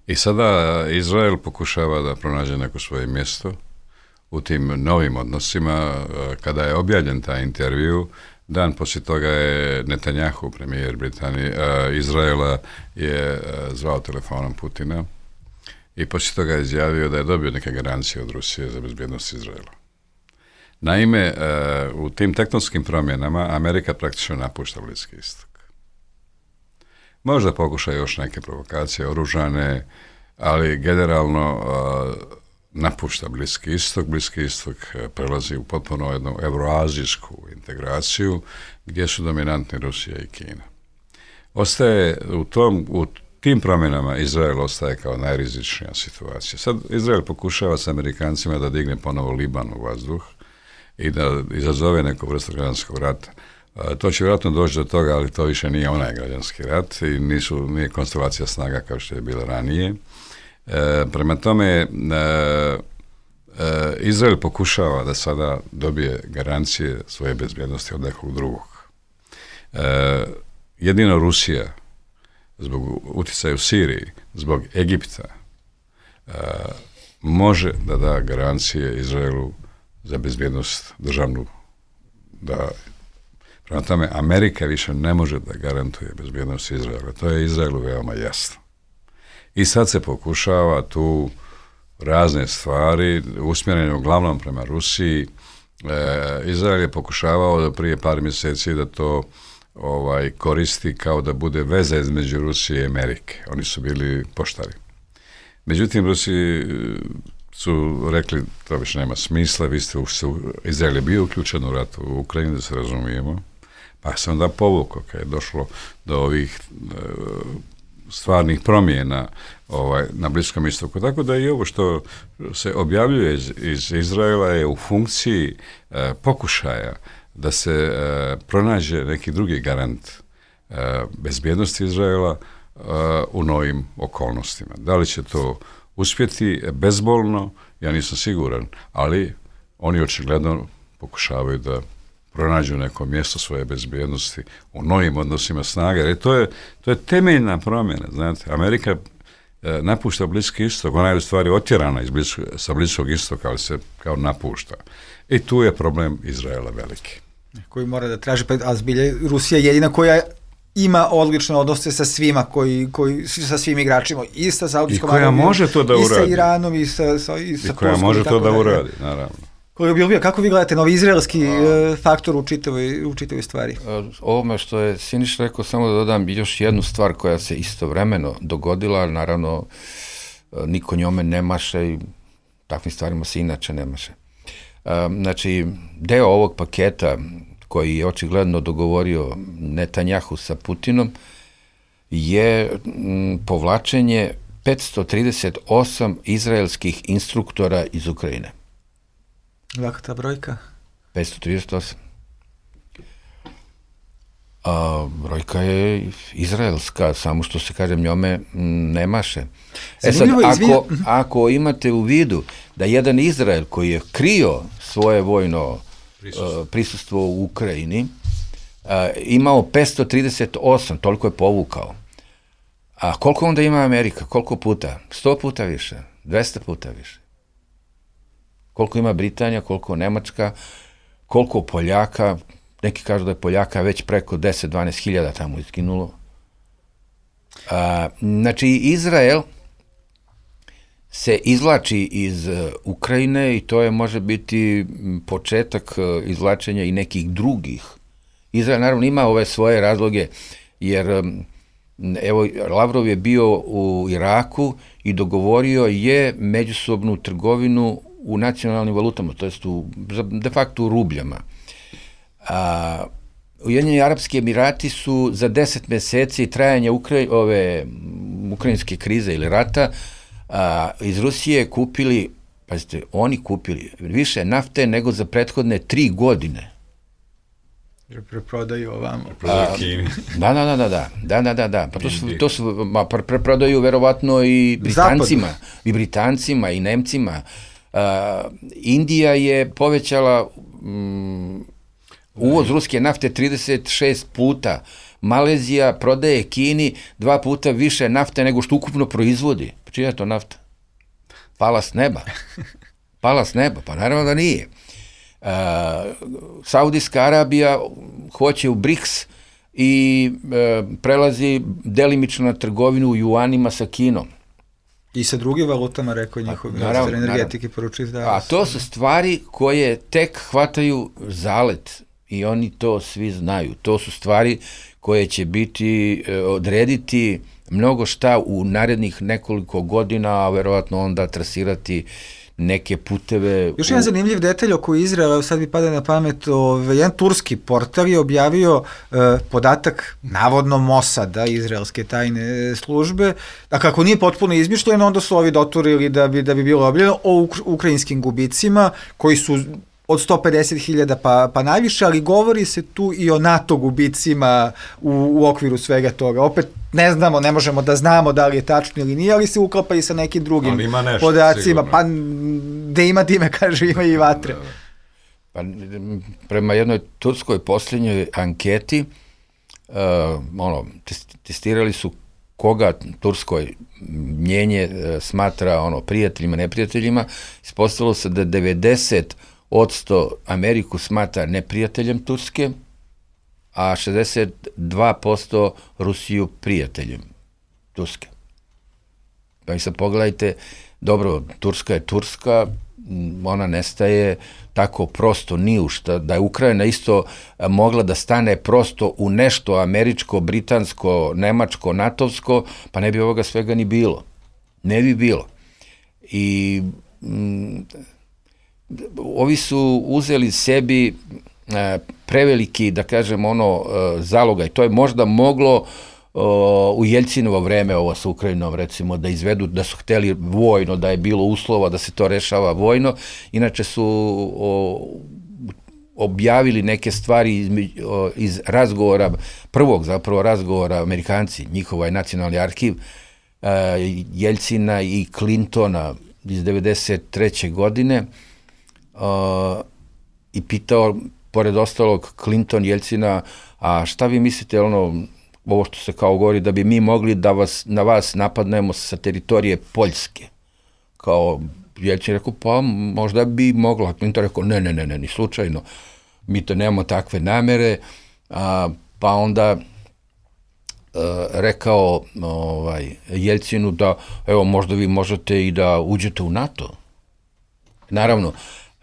I sada Izrael pokušava da pronađe neko svoje mjesto u tim novim odnosima. Kada je objavljen taj intervju, dan poslije toga je Netanjahu, premijer Britanije, Izraela, je zvao telefonom Putina i poslije toga je izjavio da je dobio neke garancije od Rusije za bezbjednost Izraela. Naime, u tim tektonskim promjenama Amerika praktično napušta Bliski istok. Možda pokuša još neke provokacije oružane, ali generalno napušta Bliski istok. Bliski istok prelazi u potpuno jednu euroazijsku integraciju gdje su dominantni Rusija i Kina. Ostaje u tom, u tim promjenama Izrael ostaje kao najrizičnija situacija. Sad Izrael pokušava s Amerikancima da digne ponovo Liban u vazduh i da izazove neku vrstu građanskog rata. To će vjerojatno doći do toga, ali to više nije onaj građanski rat i nisu, nije konstelacija snaga kao što je bila ranije. E, prema tome, e, e, Izrael pokušava da sada dobije garancije svoje bezbjednosti od nekog drugog. E, jedino Rusija, zbog utjecaja u Siriji, zbog Egipta, e, može da da garancije Izraelu za bezbjednost državnu, da prema tome Amerika više ne može da garantuje bezbjednost Izraela. To je Izraelu veoma jasno. I sad se pokušava tu razne stvari, usmjerene uglavnom prema Rusiji. E, Izrael je pokušavao da prije par mjeseci da to ovaj, koristi kao da bude veza između Rusije i Amerike. Oni su bili poštari. Međutim, Rusiji su rekli to više nema smisla, vi ste, Izrael je bio uključen u rat u Ukrajini, da se razumijemo, pa se onda povukao kad je došlo do ovih e, stvarnih promjena ovaj, na Bliskom istoku. Tako da i ovo što se objavljuje iz, iz Izraela je u funkciji e, pokušaja da se e, pronađe neki drugi garant e, bezbjednosti Izraela e, u novim okolnostima. Da li će to uspjeti bezbolno, ja nisam siguran, ali oni očigledno pokušavaju da pronađu neko mjesto svoje bezbjednosti u novim odnosima snage, jer to je, to je temeljna promjena, znate, Amerika e, napušta Bliski istok, ona je u stvari otjerana iz blisko, sa Bliskog istoka, ali se kao napušta. I tu je problem Izraela veliki. Koji mora da traži, pa a zbilje Rusija je jedina koja ima odlične odnose sa svima, koji, koji, sa svim igračima, i sa Saudijskom Arabijom, i koja može to da uradi, i sa Iranom, i sa, sa, i sa i koja Polskom, može to da uradi, naravno. Kako vi gledate novi izraelski uh, faktor u čitavoj, u čitavoj stvari? Ovome što je Siniš rekao, samo da dodam još jednu stvar koja se istovremeno dogodila, naravno niko njome ne maše i takvim stvarima se inače ne maše. Znači, deo ovog paketa koji je očigledno dogovorio Netanjahu sa Putinom je m, povlačenje petsto trideset osam izraelskih instruktora iz Ukrajine. Laka ta brojka? petsto trideset osam. A, brojka je izraelska, samo što se kažem njome ne maše. E sad, ako, ako imate u vidu da jedan Izrael koji je krio svoje vojno prisustvo, uh, prisustvo u Ukrajini uh, imao petsto trideset osam, toliko je povukao. A koliko onda ima Amerika? Koliko puta? sto puta više? dvesta puta više? Koliko ima Britanija, koliko Nemačka, koliko Poljaka, neki kažu da je Poljaka već preko deset do dvanaest hiljada tamo izginulo. A, znači, Izrael se izvlači iz uh, Ukrajine i to je može biti početak uh, izvlačenja i nekih drugih. Izrael naravno ima ove svoje razloge, jer um, evo, Lavrov je bio u Iraku i dogovorio je međusobnu trgovinu u nacionalnim valutama, to jest u, de facto u rubljama. A, Ujedinjeni Arapski Emirati su za deset mjeseci trajanja Ukra- ove ukrajinske krize ili rata a, iz Rusije kupili, pazite, oni kupili više nafte nego za prethodne tri godine. Jer preprodaju ovamo. A, da, da, da, da, da, da, da, da, pa to su, to su ma, preprodaju verovatno i Britancima, Zapadno. i Britancima, i Nemcima. Uh, Indija je povećala mm, Uvoz ruske nafte trideset šest puta. Malezija prodaje Kini dva puta više nafte nego što ukupno proizvodi. Pa čija je to nafta? Pala s neba. Pala s neba, pa naravno da nije. Uh, Saudijska Arabija hoće u BRICS i uh, prelazi delimično na trgovinu u juanima sa Kinom. I sa drugim valutama, rekao je njihov ministar energetike, poručuje da... A to su stvari koje tek hvataju zalet i oni to svi znaju. To su stvari koje će biti, odrediti mnogo šta u narednih nekoliko godina, a verovatno onda trasirati neke puteve... Još jedan u... zanimljiv detalj oko Izraela, sad mi pada na pamet, ove, jedan turski portal je objavio e, podatak navodno Mosada, izraelske tajne službe, a kako nije potpuno izmišljeno, onda su ovi doturili da bi, da bi bilo objavljeno o uk ukrajinskim gubicima, koji su od sto pedeset hiljada pa, pa najviše, ali govori se tu i o NATO gubicima u, u okviru svega toga. Opet ne znamo, ne možemo da znamo da li je tačno ili nije, ali se uklapa i sa nekim drugim nešto, podacima. Sigurno. Pa gde ima dime, kaže, ima i vatre. Pa, prema jednoj turskoj posljednjoj anketi, uh, ono, testirali su koga turskoj mnjenje uh, smatra ono, prijateljima, neprijateljima, ispostavilo se da devedeset odsto Ameriku smatra neprijateljem Turske, a šezdeset dva posto Rusiju prijateljem Turske. Pa i sad pogledajte, dobro, Turska je Turska, ona nestaje tako prosto ni u šta, da je Ukrajina isto mogla da stane prosto u nešto američko, britansko, nemačko, natovsko, pa ne bi ovoga svega ni bilo. Ne bi bilo. I mm, ovi su uzeli sebi e, preveliki, da kažem, ono, e, zalogaj. To je možda moglo o, u Jeljcinovo vreme, ovo sa Ukrajinom, recimo, da izvedu, da su hteli vojno, da je bilo uslova da se to rešava vojno. Inače su o, objavili neke stvari iz, o, iz razgovora, prvog zapravo razgovora Amerikanci, njihova je nacionalni arhiv, e, Jeljcina i Clintona iz devedeset treće godine, Uh, i pitao, pored ostalog, Clinton, Jeljcina, a šta vi mislite, ono, ovo što se kao govori, da bi mi mogli da vas, na vas napadnemo sa teritorije Poljske? Kao, Jeljcin rekao, pa možda bi mogla. Clinton rekao, ne, ne, ne, ne, ni slučajno, mi to nemamo takve namere, a, pa onda uh, rekao ovaj, Jeljcinu da, evo, možda vi možete i da uđete u NATO. Naravno,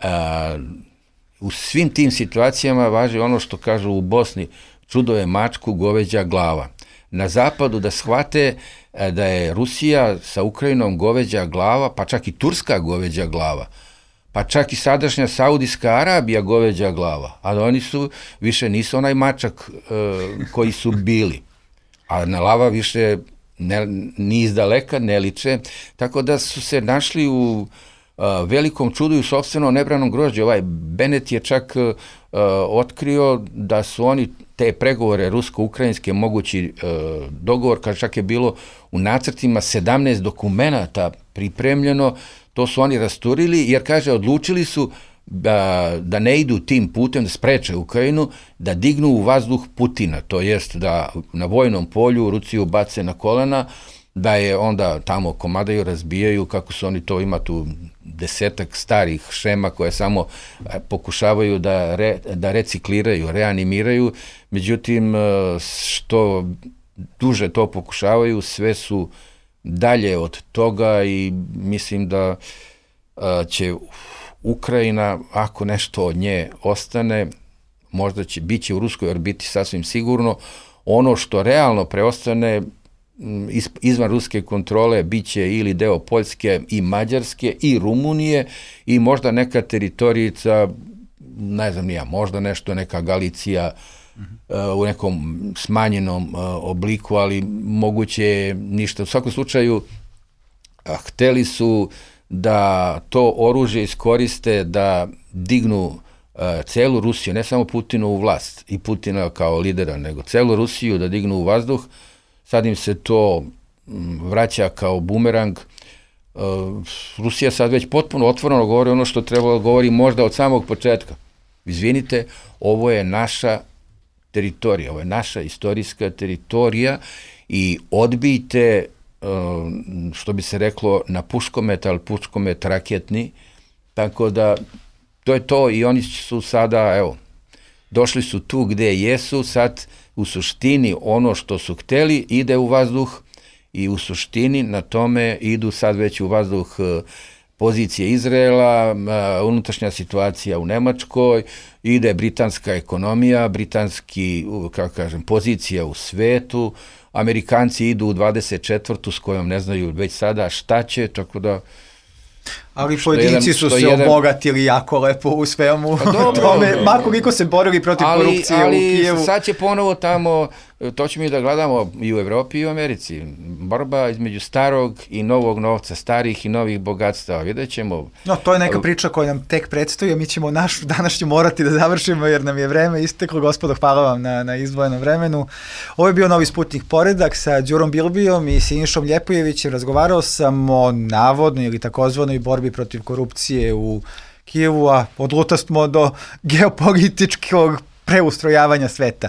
Uh, u svim tim situacijama važi ono što kažu u Bosni, čudo je mačku goveđa glava. Na zapadu da shvate uh, da je Rusija sa Ukrajinom goveđa glava, pa čak i Turska goveđa glava, pa čak i sadašnja Saudijska Arabija goveđa glava, ali oni su, više nisu onaj mačak uh, koji su bili, a na lava više ne, ni izdaleka ne liče, tako da su se našli u Uh, velikom čudu i u sopstvenom nebranom grožđu. Ovaj Bennett je čak uh, otkrio da su oni te pregovore rusko-ukrajinske mogući uh, dogovor, kad čak je bilo u nacrtima sedamnaest dokumenata pripremljeno, to su oni rasturili, jer kaže, odlučili su da, da ne idu tim putem, da spreče Ukrajinu, da dignu u vazduh Putina, to jest da na vojnom polju Rusiju bace na kolena, da je onda tamo komadaju, razbijaju, kako su oni to, ima tu desetak starih šema koje samo pokušavaju da, re, da recikliraju, reanimiraju, međutim, što duže to pokušavaju, sve su dalje od toga i mislim da će Ukrajina, ako nešto od nje ostane, možda će biti u ruskoj orbiti sasvim sigurno, ono što realno preostane izvan ruske kontrole biće ili deo Poljske i Mađarske i Rumunije i možda neka teritorijica, ne znam nija, možda nešto, neka Galicija uh-huh. uh, u nekom smanjenom uh, obliku, ali moguće ništa. U svakom slučaju, uh, hteli su da to oružje iskoriste da dignu uh, celu Rusiju, ne samo Putinu u vlast i Putina kao lidera, nego celu Rusiju da dignu u vazduh. Sad im se to vraća kao bumerang. Rusija sad već potpuno otvoreno govori ono što trebalo govori možda od samog početka. Izvinite, ovo je naša teritorija, ovo je naša istorijska teritorija i odbijte, što bi se reklo, na puškomet, ali puškomet raketni, tako da to je to i oni su sada, evo, došli su tu gde jesu, sad u suštini ono što su hteli ide u vazduh i u suštini na tome idu sad već u vazduh pozicije Izraela, unutrašnja situacija u Nemačkoj, ide britanska ekonomija, britanski, kako kažem, pozicija u svetu, Amerikanci idu u dvadeset četvrtu s kojom ne znaju već sada šta će, tako da... Ali pojedinci su se jedan... obogatili jako lepo u svemu pa dobro, tome, makoliko se borili protiv ali, korupcije ali u Kijevu. Ali sad će ponovo tamo, to ćemo i da gledamo i u Evropi i u Americi, borba između starog i novog novca, starih i novih bogatstava, vidjet ćemo. No, to je neka priča koja nam tek predstoji, mi ćemo našu današnju morati da završimo jer nam je vreme isteklo. Gospodo, hvala vam na, na izdvojenom vremenu. Ovo je bio Novi Sputnik Poredak sa Đurom Bilbijom i Sinišom Ljepojevićem. Razgovarao sam o navodnoj ili takozvanoj borbi protiv korupcije u Kijevu, a odlutastmo do geopolitičkog preustrojavanja sveta.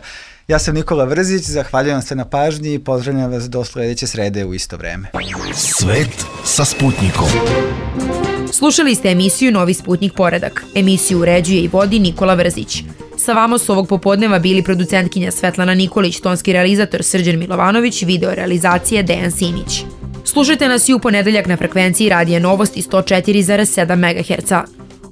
Ja sam Nikola Vrzić, zahvaljujem se na pažnji i pozdravljam vas do sledeće srede u isto vreme. Svet sa Sputnikom. Slušali ste emisiju Novi Sputnik Poredak. Emisiju uređuje i vodi Nikola Vrzić. Sa vama su ovog popodneva bili producentkinja Svetlana Nikolić, tonski realizator Srđan Milovanović, video realizacije Dejan Simić. Slušajte nas i u ponedeljak na frekvenciji Radija Novosti sto četiri zarez sedam megaherca.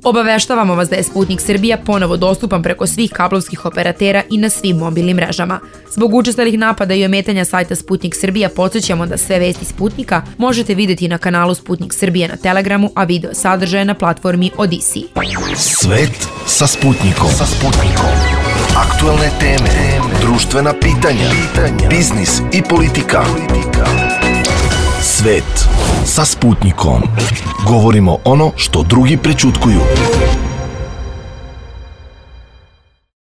Obaveštavamo vas da je Sputnik Srbija ponovo dostupan preko svih kablovskih operatera i na svim mobilnim mrežama. Zbog učestalih napada i ometanja sajta Sputnik Srbija podsjećamo da sve vesti Sputnika možete videti na kanalu Sputnik Srbija na Telegramu, a video sadržaje na platformi Odisi. Svet sa Sputnikom. Sa Sputnikom. Aktuelne teme, društvena pitanja, biznis i politika. Svet sa Sputnikom. Govorimo ono što drugi prećutkuju.